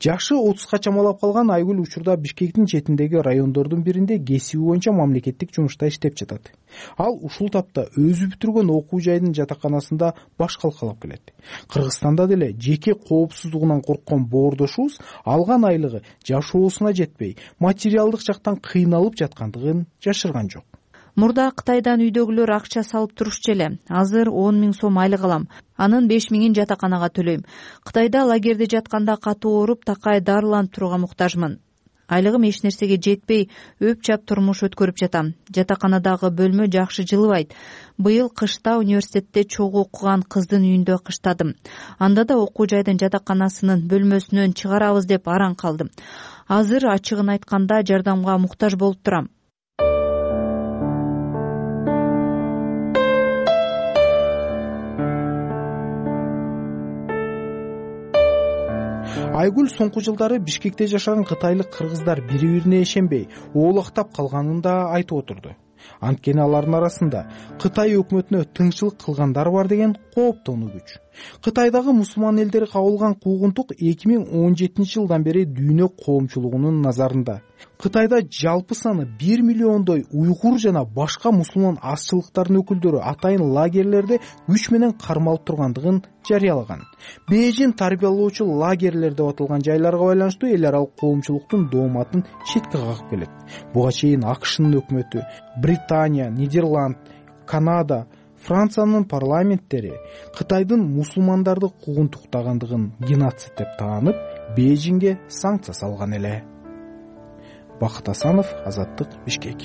Speaker 20: Жашы 30га чамалап калган Айгүл учурда Бишкектин четиндеги райондордун биринде кесиби боюнча мамлекеттик жумушта иштеп жатат. Ал ушул тапта өзү бүтүргөн окуу жайдын жатаканасында баш калкалап келет. Кыргызстанда деле жеке коопсуздугунан корккон боордошубуз алган айлыгы жашоосуна жетпей, материалдык жактан кыйналып жаткандыгын жашырган жок.
Speaker 21: Мурда Кытайдан үйдөгүлөр акча салып турушчу эле. Азыр 10 миң сом айлык алам. Анын 5 миңин жатаканага төлөйм. Кытайда лагерде жатканда катуу ооруп, такай дарыланып турууга муктажмын. Айлыгым эч нерсеге жетпей, өп-чап турмуш өткөрүп жатам. Жатаканадагы бөлмө жакшы жылыбайт. Быйыл кышта университетте чогуу окуган кыздын үйүндө кыштадым. Анда да окуу жайдын жатаканасынын бөлмөсүнөн чыгарабыз деп араң калдым. Азыр ачыгын айтканда жардамга муктаж болуп турам.
Speaker 20: Айгүл соңку жылдары Бишкекте жашаган кытайлык кыргыздар бири-бирине ишенбей, оолактап калганын да айтып отурду. Анткени алардын арасында Кытай өкмөтүнө тыңчылык кылгандар бар деген кооптонуу күч. Кытайдагы мусулман элдери кабылган куугунтук 2017-жылдан бери дүйнө коомчулугунун назарында. Кытайда жалпы саны 1 миллиондой уйгур жана башка мусулман азчылыктардын өкүлдөрү атайын лагерлерде күч менен кармалып тургандыгын жарыялаган. Бейжин тарбиялоочу лагерлер деп аталган жайларга байланыштуу эл аралык коомчулуктун дооматын четке кагып келет. Буга чейин АКШнын өкмөтү, Британия, Нидерланд, Канада, Франциянын парламенттери Кытайдын мусулмандарды куугунтуктагандыгын геноцид деп таанып, Бейжинге санкция салган эле. Бакыт Асанов, Азаттык, Бишкек.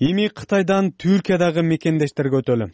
Speaker 1: Эми Кытайдан Түркиядагы мекендештерге өтөлү.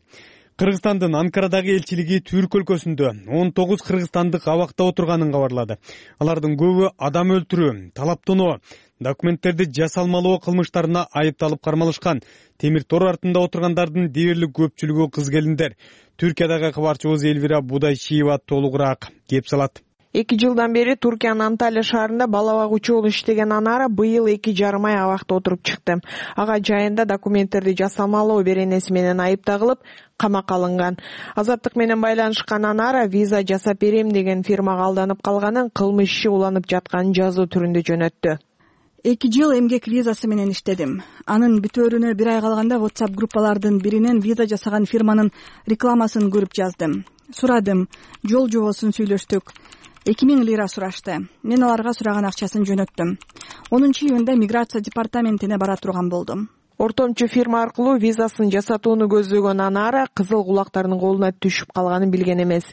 Speaker 1: Кыргызстандын Анкарадагы элчилиги Түрк өлкөсүндө 19 кыргызстандык абакта отурганын кабарлады. Алардын көбү адам өлтүрүү, талаптоноо, документтерди жасалмалоо кылмыштарына айыпталып кармалышкан. Темир тор артында отургандардын дээрлик көпчүлүгү кыз келиндер. Түркиядагы кабарчыбыз Элвира Будайшиева толугураак кеп салат.
Speaker 8: 2 жылдан бери Туркиянын Анталия шаарында бала багуучу болуп иштеген Анара быйыл 2,5 ай абакта отуруп чыкты. Ага жайында документтерди жасалмалоо беренеси менен айып тагылып, камакка алынган. Азаттык менен байланышкан Анара виза жасап берем деген фирмага алданып калганын, кылмыш иши уланып жатканын жазуу түрүндө жөнөттү.
Speaker 22: 2 жыл эмгек визасы менен иштедим. Анын бүтөөрүнө 1 ай калганда WhatsApp группалардын биринен виза жасаган фирманын рекламасын көрүп жаздым. Сурадым, жол жобосун сүйлөштүк. 2000 лира сурашты. Мен аларга сураган акчасын жөнөттүм. 10-июнда миграция департаментине бара турган болдум.
Speaker 8: Ортомчу фирма аркылуу визасын жасатууну көздөгөн Анара кызыл кулактардын колуна түшүп калганын билген эмес.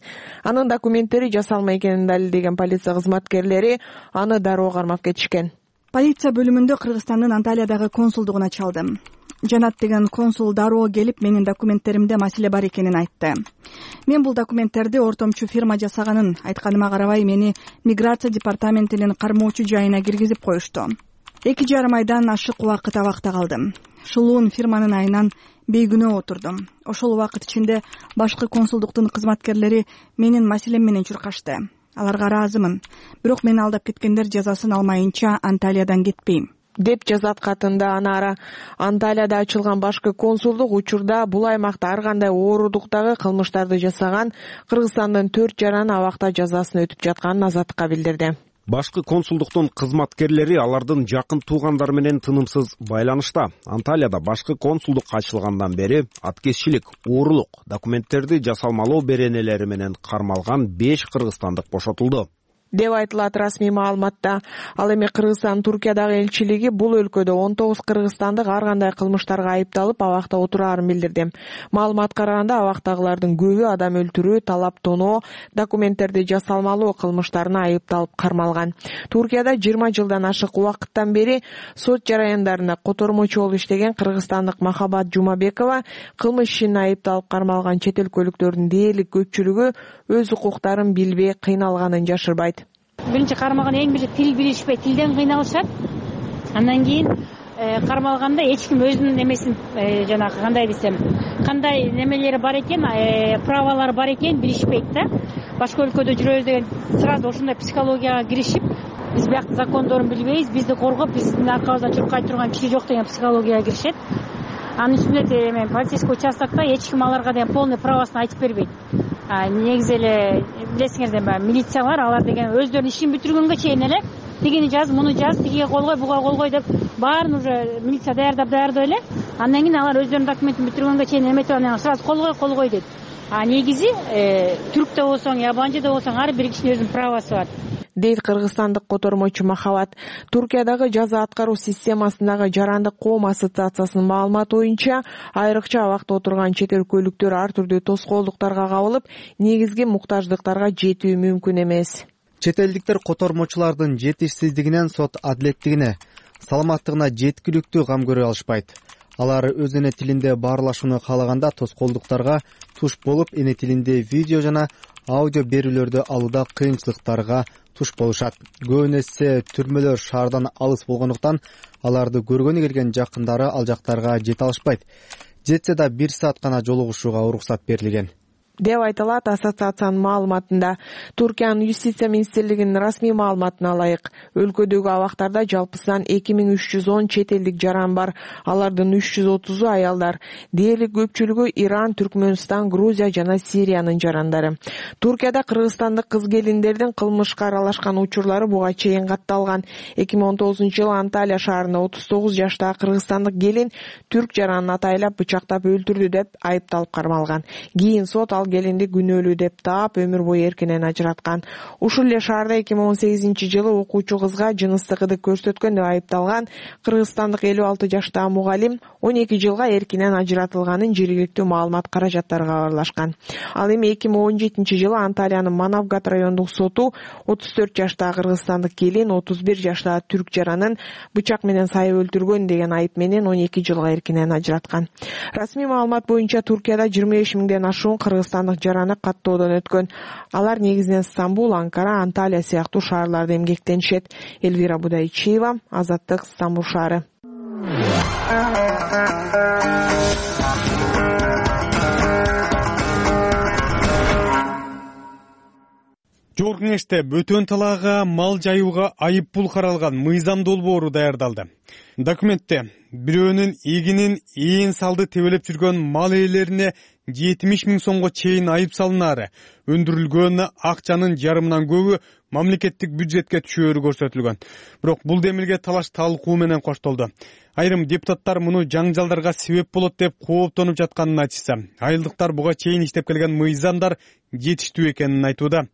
Speaker 8: Анын документтери жасалма экенин далилдеген полиция кызматкерлери аны дароо кармап кетишкен.
Speaker 22: Полиция бөлүмүндө Кыргызстандын Анталиядагы консулдугуна чалдым. Жанат деген консул дароо келип менин документтеримде маселе бар экенин айтты. Мен бул документтерди ортомчу фирма жасаганын айтканыма карабай мени миграция департаментинин кармоочу жайына киргизип коюшту. 2,5 айдан ашык убакыт абакта калдым. Шулуун фирманын айынан бейгүнөө отурдум. Ошол убакыт ичинде башкы консулдуктун кызматкерлери менин маселем менен чуркашты. Аларга ыраазымын. Бирок мени алдап кеткендер жазасын алмайынча Анталиядан кетпейм
Speaker 8: деп жазат катында Анара. Анталияда ачылган башкы консулдук учурда бул аймакта ар кандай оорудуктагы кылмыштарды жасаган Кыргызстандын 4 жараны абакта жазасын өтүп жатканын Азаттыкка билдирди.
Speaker 16: Башкы консулдуктун кызматкерлери алардын жакын туугандары менен тынымсыз байланышта. Анталияда башкы консулдук ачылгандан бери аткезчилик, уурулук, документтерди жасалмалоо беренелери менен кармалган 5 кыргызстандык бошотулду
Speaker 8: деп айтылат расмий маалыматта. Ал эми Кыргызстан Туркиядагы элчилиги бул өлкөдө 19 кыргызстандык ар кандай кылмыштарга айыпталып абакта отураарын билдирди. Маалымат караганда абактагылардын көбү адам өлтүрүү, талап тоноо, документтерди жасалмалоо кылмыштарына айыпталып кармалган. Туркияда 20 жылдан ашык убакыттан бери сот жараяндарында котормочу болуп иштеген кыргызстандык Махабат Жумабекова кылмыш ишине айыпталып кармалган чет өлкөлүктөрдүн дээрлик көпчүлүгү өз укуктарын билбей кыйналганын жашырбайт.
Speaker 2: Биринчи кармалган эң биринчи тил билишпей, тилден кыйналышат. Андан кийин кармалганда эч ким өзүнүн немесин жанагы кандай десем, кандай немелери бар экен, правалары бар экен билишпейт да. Башка өлкөдө жүрөбүз деген сразу ошондой психологияга киришип, биз бияктын закондорун билбейбиз, бизди коргоп, биздин аркабыздан чуркай турган киши жок деген психологияга киришет. Анын үстүнө полицейский участокто эч ким аларга деген полный правасын айтып бербейт. Негизи эле билесиңер, милициялар алар деген өздөрүнүн ишин бүтүргөнгө чейин эле тигини жаз, муну жаз, тигиге кол кой, буга кол кой деп баарын уже милиция даярдап эле. Андан кийин алар өздөрүнүн документин бүтүргөнгө чейин эметип анан сразу кол кой дейт. Негизи түрк да болсоң, ябанчы да болсоң ар бир кишинин өзүнүн правасы бар
Speaker 8: дейт кыргызстандык котормочу Махабат. Туркиядагы жаза аткаруу системасындагы Жарандык коом ассоциациясынын маалыматы боюнча, айрыкча абакта отурган чет өлкөлүктөр ар түрдүү тоскоолдуктарга кабылып, негизги муктаждыктарга жетүү мүмкүн эмес.
Speaker 5: Чет элдиктер котормочулардын жетишсиздигинен сот адилеттигине, саламаттыгына жеткиликтүү кам көрө алышпайт. Алар өз эне тилинде баарлашууну каалаганда тоскоолдуктарга туш болуп, эне тилинде видео жана аудио берүүлөрдү алууда кыйынчылыктарга туш болушат. Көбүнө эсе түрмөлөр шаардан алыс болгондуктан аларды көргөнү келген жакындары ал жактарга жете алышпайт. Жетсе да 1 саат гана жолугушууга уруксат берилген
Speaker 8: деп айтылат ассоциациянын маалыматында. Туркиянын юстиция министрлигинин расмий маалыматына ылайык, өлкөдөгү абактарда жалпысынан 2310 чет элдик жаран бар. Алардын 330-у аялдар. Дээрлик көпчүлүгү Иран, Түркмөнстан, Грузия жана Сириянын жарандары. Туркияда кыргызстандык кыз келиндердин кылмышка аралашкан учурлары буга чейин катталган. 2019-жылы Анталия шаарында 39 жаштагы кыргызстандык келин түрк жаранын атайлап бычактап өлтүрдү деп айыпталып кармалган. Кийин сот ал келинди күнөөлүү деп таап, өмүр бою эркинен ажыраткан. Ушул эле шаарда 2018-жылы окуучу кызга жыныстык ырдык көрсөткөн деп айыпталган кыргызстандык 56 жаштагы мугалим 12 жылга эркинен ажыратылганын жергиликтүү маалымат каражаттары кабарлашкан. Ал эми 2017-жылы Анталиянын Манавгат райондук соту 34 жаштагы кыргызстандык келин 31 жаштагы түрк жаранын бычак менен сайып өлтүргөн деген айып менен 12 жылга эркинен ажыраткан. Расмий маалымат боюнча Туркияда 25 миңден ашуун кыргызстандык жараны каттоодон өткөн. Алар негизинен Стамбул, Анкара, Анталия сыяктуу шаарларда эмгектенишет. Элвира Будайчиева, Азаттык, Стамбул шаары.
Speaker 1: Жогорку Кеңеште бөтөн талаага мал жайууга айып пул каралган мыйзам долбоору даярдалды. Документте бирөөнүн эгинин ээн салды тебелеп жүргөн мал ээлерине 70 миң сомго чейин айып салынаары, өндүрүлгөн акчанын жарымынан көбү мамлекеттик бюджетке түшөөрү көрсөтүлгөн. Бирок бул демилге талаш талкуу менен коштолду. Айрым депутаттар муну жаңжалдарга себеп болот деп кооптонуп жатканын айтышса, айылдыктар буга чейин иштеп келген мыйзамдар жетиштүү экенин айтууда.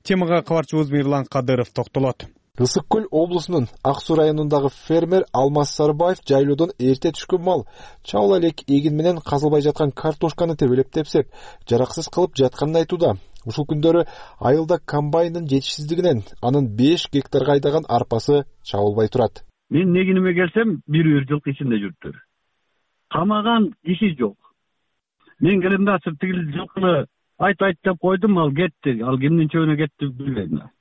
Speaker 1: Темага кабарчыбыз Мирлан Кадыров токтолот.
Speaker 6: Ысык Көл облусунун Ак Суу районундагы фермер Алмаз Сарбаев жайлоодон эрте түшкөн мал чабыла элек эгин менен казылбай жаткан картошканы тебелеп тепсеп, жараксыз кылып жатканын айтууда. Ушул күндөрү айылда комбайндын жетишсиздигинен анын 5 гектарга айдаган арпасы чабылбай турат.
Speaker 7: Мен негиниме келсем, бир жылкы ичинде жүрүптүр. Камаган киши жок. Мен келем да тигил жылкыны айт деп койдум, ал кетти. Ал кимдин чөбүнө кетти билбейм.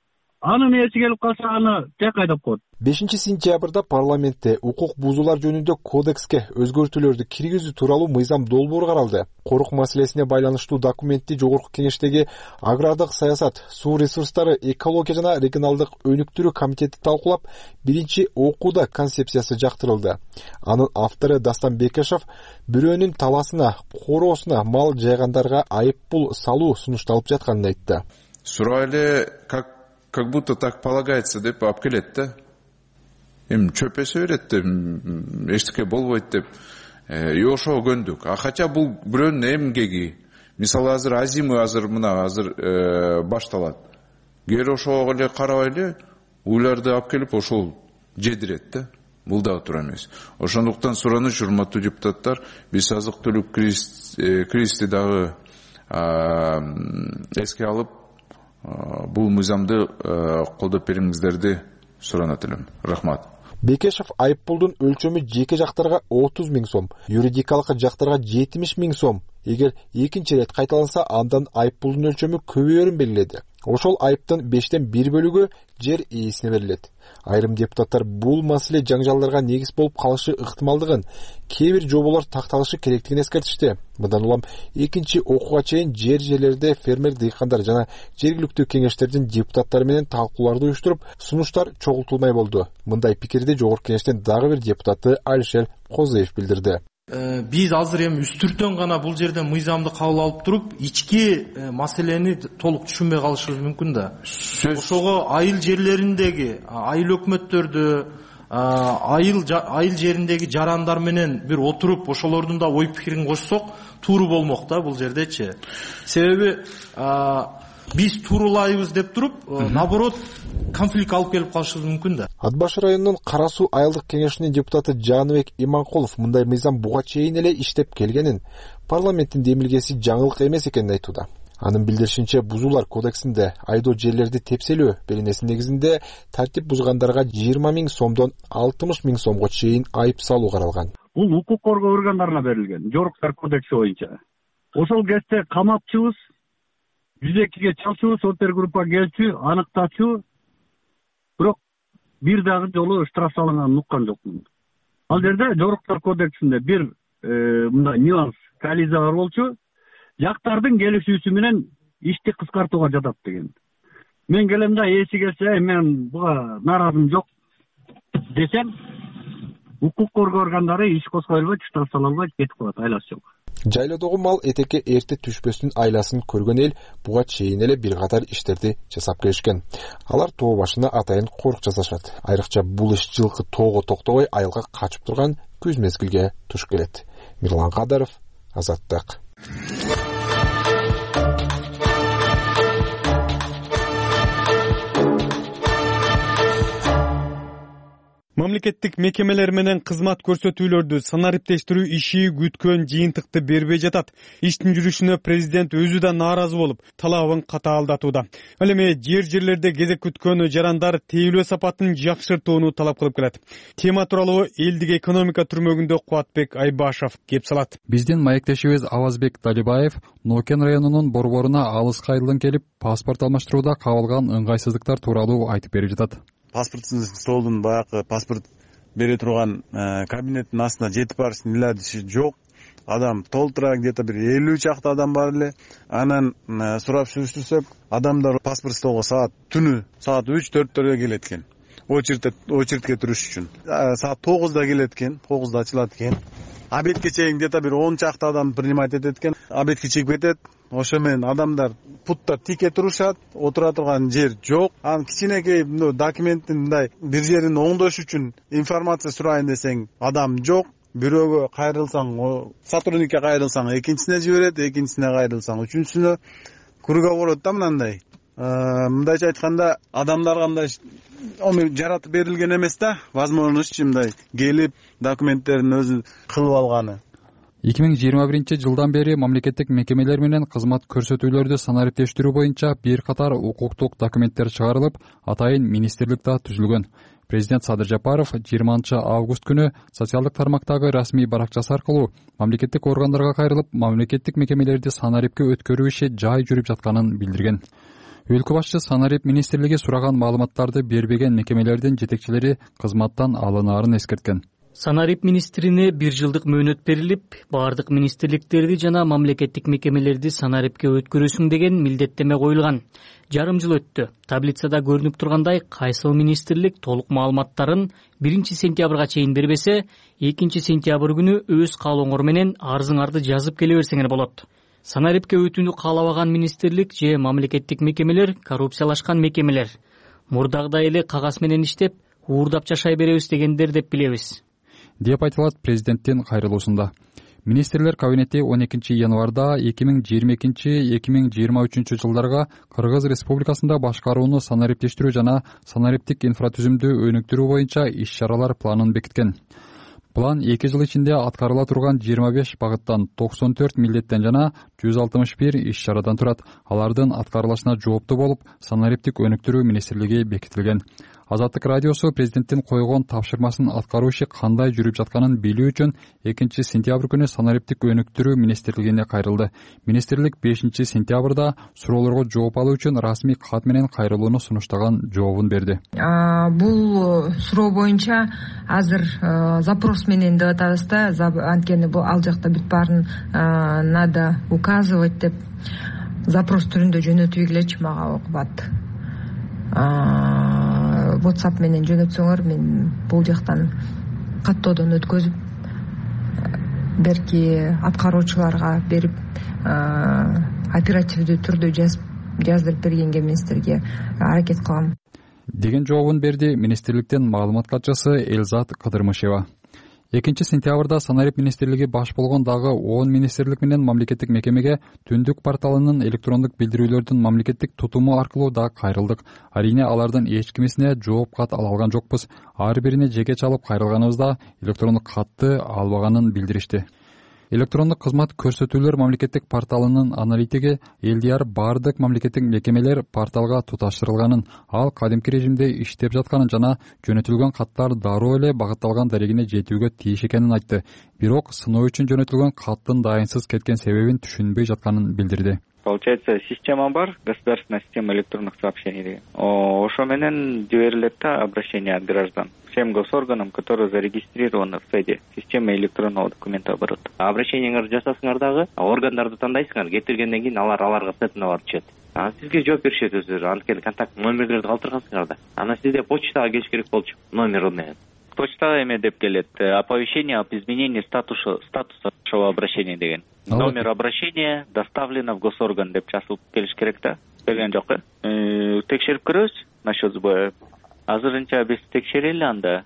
Speaker 7: Анын ээси келип калса, аны тек айдап коет.
Speaker 6: 5-сентябрда парламентте укук бузуулар жөнүндө кодекске өзгөртүүлөрдү киргизүү тууралуу мыйзам долбоору каралды. Корук маселесине байланыштуу документти Жогорку Кеңештеги агрардык саясат, суу ресурстары, экология жана регионалдык өнүктүрүү комитети талкуулап, биринчи окууда концепциясы жактырылды. Анын автору Дастан Бекешев бирөөнүн таласына, короосуна мал жайгандарга айып пул салуу сунушталып жатканын айтты.
Speaker 23: Сурайлы как будто так полагается деп алып келет да. Чөп эсе берет деп, эчтеке болбойт деп. Ошого көндүк. Хотя бул бирөөнүн эмгеги. Мисалы азыр азыр башталат. Кээ ошого эле карабайлы, уйларды алып келип ошол жедирет да. Бул дагы туура эмес. Ошондуктан сураныч, урматтуу депутаттар, биз азык-түлүк кризисти дагы эске алып, бул мыйзамды колдоп бериңиздерди суранат элем. Рахмат.
Speaker 6: Бекешев айыппулдун өлчөмү жеке жактарга 30 000 сом, юридикалык жактарга 70 000 сом. Эгер экинчи рет кайталанса, андан айыппулдун өлчөмү көбөйөрүн белгиледи. Ошол айыптын 5-тен 1 бөлүгү жер ээсине берилет. Айрым депутаттар бул маселе жаңжалдарга негиз болуп калышы ыктымалдыгын, кээ бир жоболор такталышы керектигин эскертишти. Мындан улам экинчи окууга чейин жерлерде фермер дыйкандар жана жергиликтүү кеңештердин депутаттары менен талкууларды уюштуруп, сунуштар чогултулмай болду. Мындай пикирди Жогорку Кеңештин дагы бир депутаты Алишер Козыев билдирди.
Speaker 24: Биз азыр эми үстүртөн гана бул жерден мыйзамды кабыл алып туруп, ички маселени толук түшүнбөй калышыбыз мүмкүн да. Ошого айыл жерлериндеги, айыл өкмөттөрдү, айыл жериндеги жарандар менен бир отуруп, ошолордун да ой пикирин кошсок, тууру болмок да бул жердечи. Себеби биз туурулайбыз деп туруп, наоборот, конфликт алып келип калышыбыз мүмкүн да.
Speaker 6: Ат Баш районунун Кара Суу айылдык кеңешинин депутаты Жаныбек Иманкулов мындай мыйзам буга чейин эле иштеп келгенин, парламенттин демилгеси жаңылык эмес экенин айтууда. Анын билдиришинче, бузуулар кодексинде айдоо жерлерди тепселөө беренеси негизинде тартип бузгандарга 20 000 сомдон 60 000 сомго чейин айып салуу каралган.
Speaker 7: Бул укук коргоо органдарына берилген, Жоруктар кодекси боюнча. Ошол кезде камапчыбыз 102-ге чалчубуз, опергруппа келчү, аныктачу, бирок бир дагы жолу штраф салынганын уккан жокмун. Ал жерде Жоруктар кодексинде бир мындай нюанс, коллизия бар болчу. Жактардын келишүүсү менен ишти кыскартууга жатат деген. Мен келем да ээси келсе, мен буга нааразым жок десем, укук коргоо органдары иш козгой албайт, штраф сала албайт, кетип калат, айласы жок.
Speaker 6: Жайлоодогу мал этекке эрте түшпөстүн айласын көргөн эл буга чейин эле бир катар иштерди жасап келишкен. Алар тоо башына атайын корук жасашат. Айрыкча бул иш жылкы тоого токтобой айылга качып турган күз мезгилге туш келет. Мирлан Кадаров, Азаттык.
Speaker 1: Мамлекеттик мекемелер менен кызмат көрсөтүүлөрдү санариптештирүү иши күткөн жыйынтыкты бербей жатат. Иштин жүрүшүнө президент өзү да нааразы болуп, талабын катаалдатууда. Ал эми жерлерде кезек күткөн жарандар тейлөө сапатын жакшыртууну талап кылып келет. Тема тууралуу элдик экономика түрмөгүндө Кубатбек Айбашев кеп салат.
Speaker 25: Биздин маектешибиз Авазбек Талибаев Нокен районунун борборуна алыс кайрылын келип, паспорт алмаштырууда кабылган ыңгайсыздыктар тууралуу айтып берип жатат.
Speaker 26: Паспорттун столдун баягы паспорт бере турган кабинеттин астына жетип барыштын иладиши жок. Адам толтура, где-то бир 50 чакты адам бар эле. Анан сурап сүрүштүрсөк, адамдар паспорт столго түнү саат 3-4 келет экен. Очередке туруш үчүн. Саат 9-да келет экен, 9-да ачылат экен. Обедке чейин где-то бир 10 чакты адам принимать этет экен. Обедке чыгып кетет. Ошо менен адамдар путта тике турушат, отура турган жер жок. Анан кичинекей документтин мындай бир жерин оңдош үчүн информация сурайын десең, адам жок. Бирөөгө кайрылсаң, сотрудникке кайрылсаң, экинчисине жиберет, экинчисине кайрылсаң, үчүнчүсүнө круговорот да мындай. мындайча айтканда адамдар кандай жаратып берилген эмес да, возможность мындай келип документтерин өзү кылып алганы.
Speaker 25: 2021 жылдан бери мамлекеттик мекемелер менен кызмат көрсөтүүлөрдү санариптештирүү боюнча бир катар укуктук документтер чыгарылып, атайын министрлик да түзүлгөн. Президент Садыр Жапаров 20 август күнү социалдык тармактагы расмий баракчасы аркылуу мамлекеттик органдарга кайрылып, мамлекеттик мекемелерди санарипке өткөрүү иши жай жүрүп жатканын билдирген. Өлкө башчы санарип министрлиги сураган маалыматтарды бербеген мекемелердин жетекчилери кызматтан алынаарын эскерткен.
Speaker 4: Санарип министрине 1 жылдык мөөнөт берилип, бардык министрликтерди жана мамлекеттик мекемелерди санарипке өткөрүүсүң деген милдеттеме коюлган. Жарым жыл өттү. Таблицада көрүнүп тургандай, кайсыл министрлик толук маалыматтарын 1 сентябрга чейин бербесе, 2 сентябрь күнү өз каалооңор менен арызыңарды жазып келе берсеңер болот. Санарипке өтүүнү каалабаган министрлик же мамлекеттик мекемелер коррупциялашкан мекемелер. Мурдагыдай эле кагаз менен иштеп, уурдап жашай беребиз дегендер деп билебиз,
Speaker 25: деп айтылат президенттин кайрылуусунда. Министрлер кабинети 12 январда 2022-2023 жылдарга Кыргыз Республикасында башкарууну санариптештирүү жана санариптик инфратүзүмдү өнүктүрүү боюнча иш-чаралар планын бекиткен. План 2 жыл ичинде аткарыла турган 25 багыттан, 94 милдеттен жана 161 иш-чарадан турат. Алардын аткарылышына жооптуу болуп, санариптик өнүктүрүү министрлиги бекитилген. Азаттык радиосу президенттин койгон тапшырмасын аткаруу иши кандай жүрүп жатканын билүү үчүн 2 сентябрь күнү санариптик өнүктүрүү министрлигине кайрылды. Министрлик 5 сентябрда суроолорго жооп алуу үчүн расмий кат менен кайрылууну сунуштаган жообун берди.
Speaker 9: Бул суроо боюнча азыр запрос менен деп атабыз да, анткени бул ал жакта бүт баарын надо указывать деп запрос түрүндө жөнөтүбегилечи мага окубат. WhatsApp менен жөнөтсөңөр, мен бул жактан каттоодон өткөзүп, берки аткаруучуларга берип, оперативдүү түрдө жаздырып бергенге министрге аракет кылам
Speaker 25: деген жообун берди министрликтин маалымат катчысы Элзат Кыдырмышева. 2 сентябрда санарип министрлиги баш болгон дагы 10 министрлик менен мамлекеттик мекемеге Түндүк порталынын электрондук билдирүүлөрдүн мамлекеттик тутуму аркылуу да кайрылдык. Арийне алардын эч кимисине жооп кат ала алган жокпуз. Ар бирине жеке чалып кайрылганыбызда электрондук катты албаганын билдиришти. Электрондук кызмат көрсөтүүлөр мамлекеттик порталынын аналитиги ЛДР бардык мамлекеттик мекемелер порталга туташтырылганын, ал кадимки режимде иштеп жатканын жана жөнөтүлгөн каттар дароо эле багытталган дарегине жетүүгө тийиш экенин айтты. Бирок сыноо үчүн жөнөтүлгөн каттын дайынсыз кеткен себебин түшүнбөй жатканын билдирди.
Speaker 10: Получается, система бар, государственная система электронных сообщений деген. Ошо менен жиберилет да обращение от граждан всем госорганам, которые зарегистрированы в СЭДе, система электронного документооборота. Обращениеңерди жасасыңар дагы, органдарды тандайсыңар, кетиргенден кийин аларга сетине барып түшөт. Сизге жооп беришет өзүлөрү, анткени контакт номерлерди калтыргансыңар да. Ана сизде почтага келиш керек болчу, номер менен. Почтага эме деп келет, оповещение об изменении статуса вашего обращения деген. Номер обращения доставлено в госорган деп жазылып келиш керек да. Келген жок. Текшерип көрөбүз насчет сбоя. Азырынча биз текшерели анда.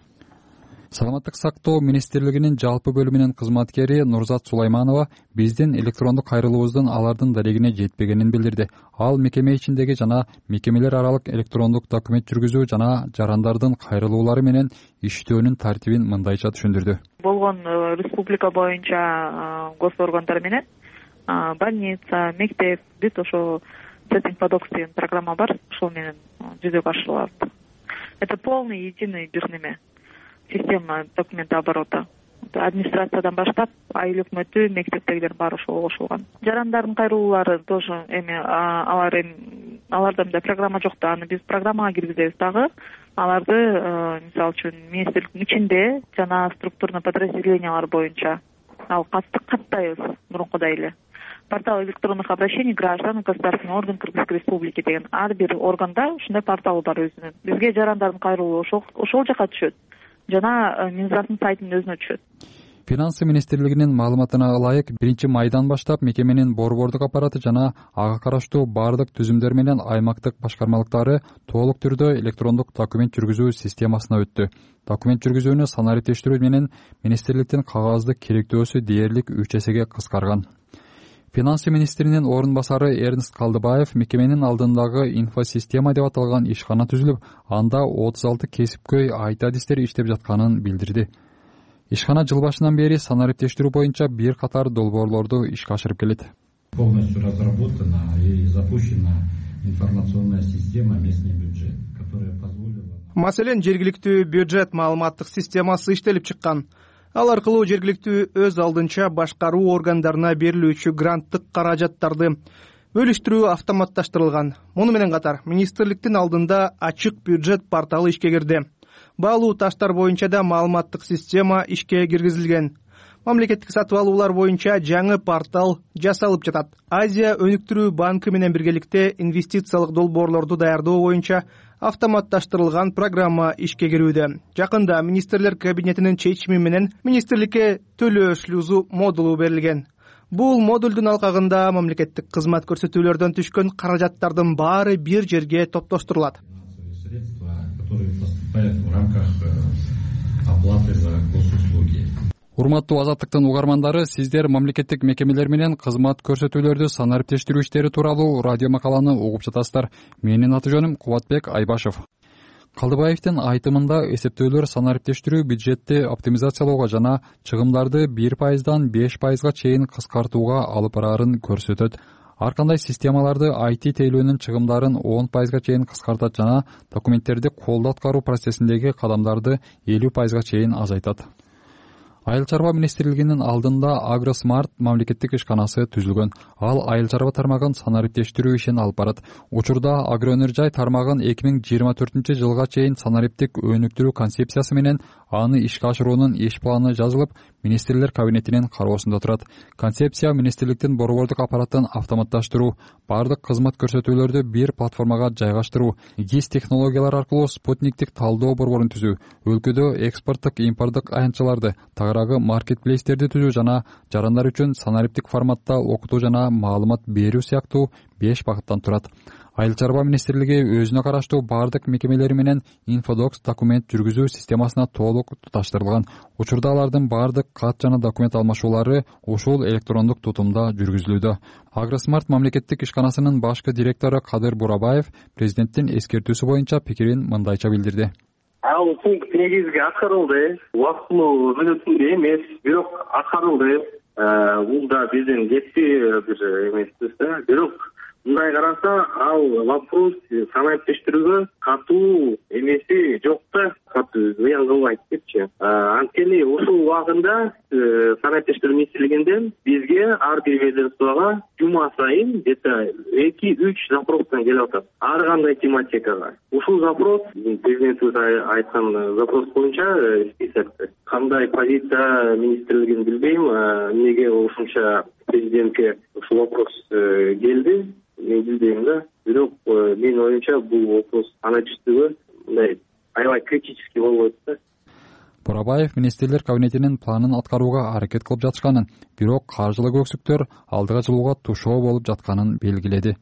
Speaker 25: Саламаттык сактоо министрлигинин жалпы бөлүмүнүн кызматкери Нурзат Сулайманова биздин электрондук кайрылуубуздун алардын дарегине жетпегенин билдирди. Ал мекеме ичиндеги жана мекемелер аралык электрондук документ жүргүзүү жана жарандардын кайрылуулары менен иштөөнүн тартибин мындайча түшүндүрдү.
Speaker 11: Болгон республика боюнча госоргандар менен больница, мектеп, бүт ошо setting подокс деген программа бар, ошол менен жүзөгө ашырылат. Это полный единый бир неме система документооборота. Администрациядан баштап айыл өкмөтү, мектептегилер баары ошого кошулган. Жарандардын кайрылуулары тоже аларда да программа жок да, аны биз программага киргизебиз дагы. Аларды мисалы үчүн министрликтин ичинде жана структурный подразделениялар боюнча ал каттайбыз мурункудай эле. Портал электронных обращений граждан, государственный орган Кыргызской республики деген ар бир органда ушундай портал бар өзүнүн. Бизге жарандардын кайрылуу ошол жака түшөт жана Минздравдын сайтынын өзүнө түшөт.
Speaker 25: Финансы министрлигинин маалыматына ылайык 1 майдан баштап мекеменин борбордук аппараты жана ага караштуу бардык түзүмдөр менен аймактык башкармалыктары толук түрдө электрондук документ жүргүзүү системасына өттү. Документ жүргүзүүнү санариптештирүү менен министрликтин кагаздык керектөөсү дээрлик 3 эсеге кыскарган. Финансы министринин орун басары Эрнст Калдыбаев мекеменин алдындагы инфосистема деп аталган ишкана түзүлүп, анда 36 кесипкөй IT адистер иштеп жатканын билдирди. Ишкана жыл башынан бери санариптештирүү боюнча бир катар долбоорлорду ишке ашырып келет.
Speaker 3: Полностью разработана и запущена информационная система местный бюджет, которая позволила...
Speaker 12: Маселен, жергиликтүү бюджет маалыматтык системасы иштелип чыккан. Ал аркылуу жергиликтүү өз алдынча башкаруу органдарына берилүүчү гранттык каражаттарды бөлүштүрүү автоматташтырылган. Муну менен катар министрликтин алдында ачык бюджет порталы ишке кирди. Баалуу таштар боюнча да маалыматтык система ишке киргизилген. Мамлекеттик сатып алуулар боюнча жаңы портал жасалып жатат. Азия өнүктүрүү банкы менен биргеликте инвестициялык долбоорлорду даярдоо боюнча автоматташтырылган программа ишке кирүүдө. Жакында министрлер кабинетинин чечими менен министрликке төлөө шлюзу модулу берилген. Бул модулдун алкагында мамлекеттик кызмат көрсөтүүлөрдөн түшкөн каражаттардын баары бир жерге топтоштурулат.
Speaker 3: Средства, которые поступают в рамках оплаты за госуслуги.
Speaker 25: Урматтуу Азаттыктын угармандары, сиздер мамлекеттик мекемелер менен кызмат көрсөтүүлөрдү санариптештирүү иштери тууралуу радио макаланы угуп жатасыздар. Менин аты жөнүм Кубатбек Айбашев. Калдыбаевдин айтымында эсептөөлөр санариптештирүү бюджетти оптимизациялоого жана чыгымдарды 1%дан 5%га чейин кыскартууга алып бараарын көрсөтөт. Ар кандай системаларды IT тейлөөнүн чыгымдарын 10%га чейин кыскартат жана документтерди колдо аткаруу процессиндеги кадамдарды 50%га чейин азайтат. Айыл чарба министрлигинин алдында Агросмарт мамлекеттик ишканасы түзүлгөн. Ал айыл чарба тармагын санариптештирүү ишин алып барат. Учурда агроөнөр жай тармагын 2024 жылга чейин санариптик өнүктүрүү концепциясы менен аны ишке ашыруунун иш планы жазылып, министрлер кабинетинин кароосунда турат. Концепция министрликтин борбордук аппаратын автоматташтыруу, бардык кызмат көрсөтүүлөрдү бир платформага жайгаштыруу, ГИС технологиялар аркылуу спутниктик талдоо борборун түзүү, өлкөдө экспорттук, импорттук аянтчаларды, тагыраагы маркетплейстерди түзүү жана жарандар үчүн санариптик форматта окутуу жана маалымат берүү сыяктуу 5 багыттан турат. Айыл чарба министрлиги өзүнө караштуу бардык мекемелери менен инфодокс документ жүргүзүү системасына толук туташтырылган. Учурда алардын бардык кат жана документ алмашуулары ушул электрондук тутумда жүргүзүлүүдө. Агросмарт мамлекеттик ишканасынын башкы директору Кадыр Бурабаев президенттин эскертүүсү боюнча пикирин мындайча билдирди.
Speaker 13: Ал пункт негизги аткарылды. Убактылуу мүнөтүндө эмес, бирок аткарылды. Бул да биздин жетпи бир эмеспиз да. Бирок мындай караса, ал вопрос санариптештирүүгө катуу эмеси жок да, катуу зыян кылбайт депчи. Анткени ушул убагында санариптештирүү министрлигинен бизге ар бир ведомствого жума сайын где-то 2-3 запростан келип атат. Ар кандай тематикага. Ушул запрос президентибиз айткан запрос боюнча списокто. Кандай позиция министрлигин билбейм, эмнеге ушунча президентке ушул вопрос келди. Мен билбейм да. Бирок менин оюмча бул вопрос санариптештирүүгө мындай аябай критический болбойт да.
Speaker 25: Бурабаев министрлер кабинетинин планын аткарууга аракет кылып жатышканын, бирок каржылык өксүктөр алдыга жылууга тушоо болуп жатканын белгиледи.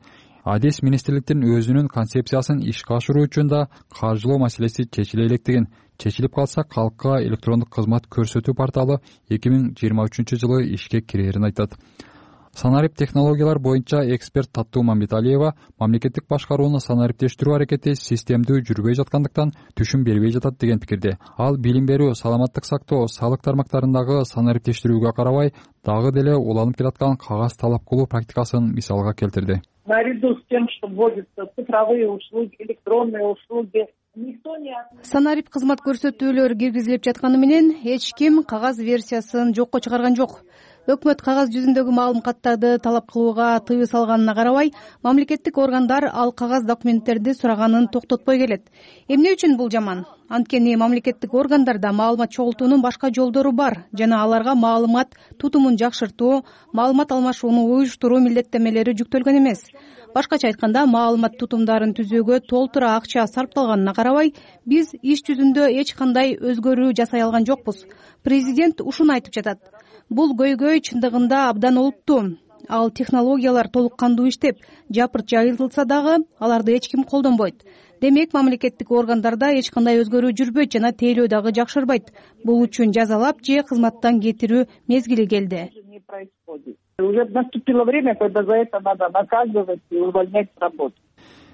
Speaker 25: Адис министрликтин өзүнүн концепциясын ишке ашыруу үчүн да каржылоо маселеси чечиле электигин, чечилип калса калкка электрондук кызмат көрсөтүү порталы 2023 жылы ишке кирерин айтат. Санарип технологиялар боюнча эксперт Таттуу Мамбеталиева мамлекеттик башкарууну санариптештирүү аракети системдүү жүрбөй жаткандыктан түшүм бербей жатат деген пикирде. Ал билим берүү, саламаттык сактоо, салык тармактарындагы санариптештирүүгө карабай, дагы деле уланып келаткан кагаз талап кылуу практикасын мисалга келтирди.
Speaker 15: Наряду с тем, что вводятся цифровые услуги, электронные услуги,
Speaker 21: санарип кызмат көрсөтүүлөр киргизилип жатканы менен эч ким кагаз версиясын жокко чыгарган жок. Өкмөт кагаз жүзүндөгү маалыматтарды талап кылууга тыюу салганына карабай, мамлекеттик органдар ал кагаз документтерди сураганын токтотпой келет. Эмне үчүн бул жаман? Анткени мамлекеттик органдарда маалымат чогултуунун башка жолдору бар жана аларга маалымат тутумун жакшыртуу, маалымат алмашууну уюштуруу милдеттемелери жүктөлгөн эмес. Башкача айтканда, маалымат тутумдарын түзүүгө толтура акча сарпталганына карабай, биз иш жүзүндө эч кандай өзгөрүү жасай алган жокпуз. Президент ушуну айтып жатат. Бул көйгөй чындыгында абдан олуттуу. Ал технологиялар толук кандуу иштеп, жапырт жайылтылса дагы аларды эч ким колдонбойт. Демек, мамлекеттик органдарда эч кандай өзгөрүү жүрбөйт жана тейлөө дагы жакшырбайт. Бул үчүн жазалап же кызматтан кетирүү мезгили келди.
Speaker 15: Уже наступило время, когда за это надо наказывать и увольнять с работы.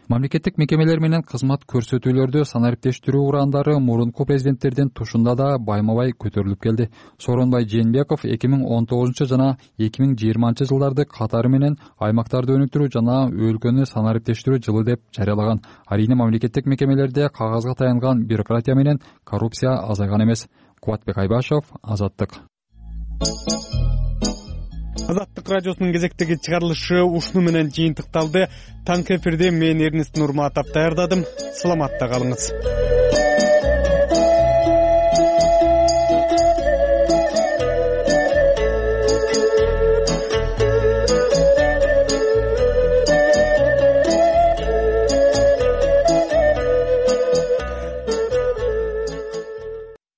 Speaker 25: Мамлекеттик мекемелер менен кызмат көрсөтүүлөрдү санариптештирүү урандары мурунку президенттердин тушунда да байма-бай көтөрүлүп келди. Сооронбай Жээнбеков 2019 жана 2020 жылдарды катары менен аймактарды өнүктүрүү жана өлкөнү санариптештирүү жылы деп жарыялаган. Арийне мамлекеттик мекемелерде кагазга таянган бюрократия менен коррупция азайган эмес. Кубатбек Айбашев, Азаттык.
Speaker 1: Азаттык радиосунун кезектеги чыгарылышы ушуну менен жыйынтыкталды. Таңкы эфирде мен Эрнест Нурматов даярдадым. Саламатта калыңыз.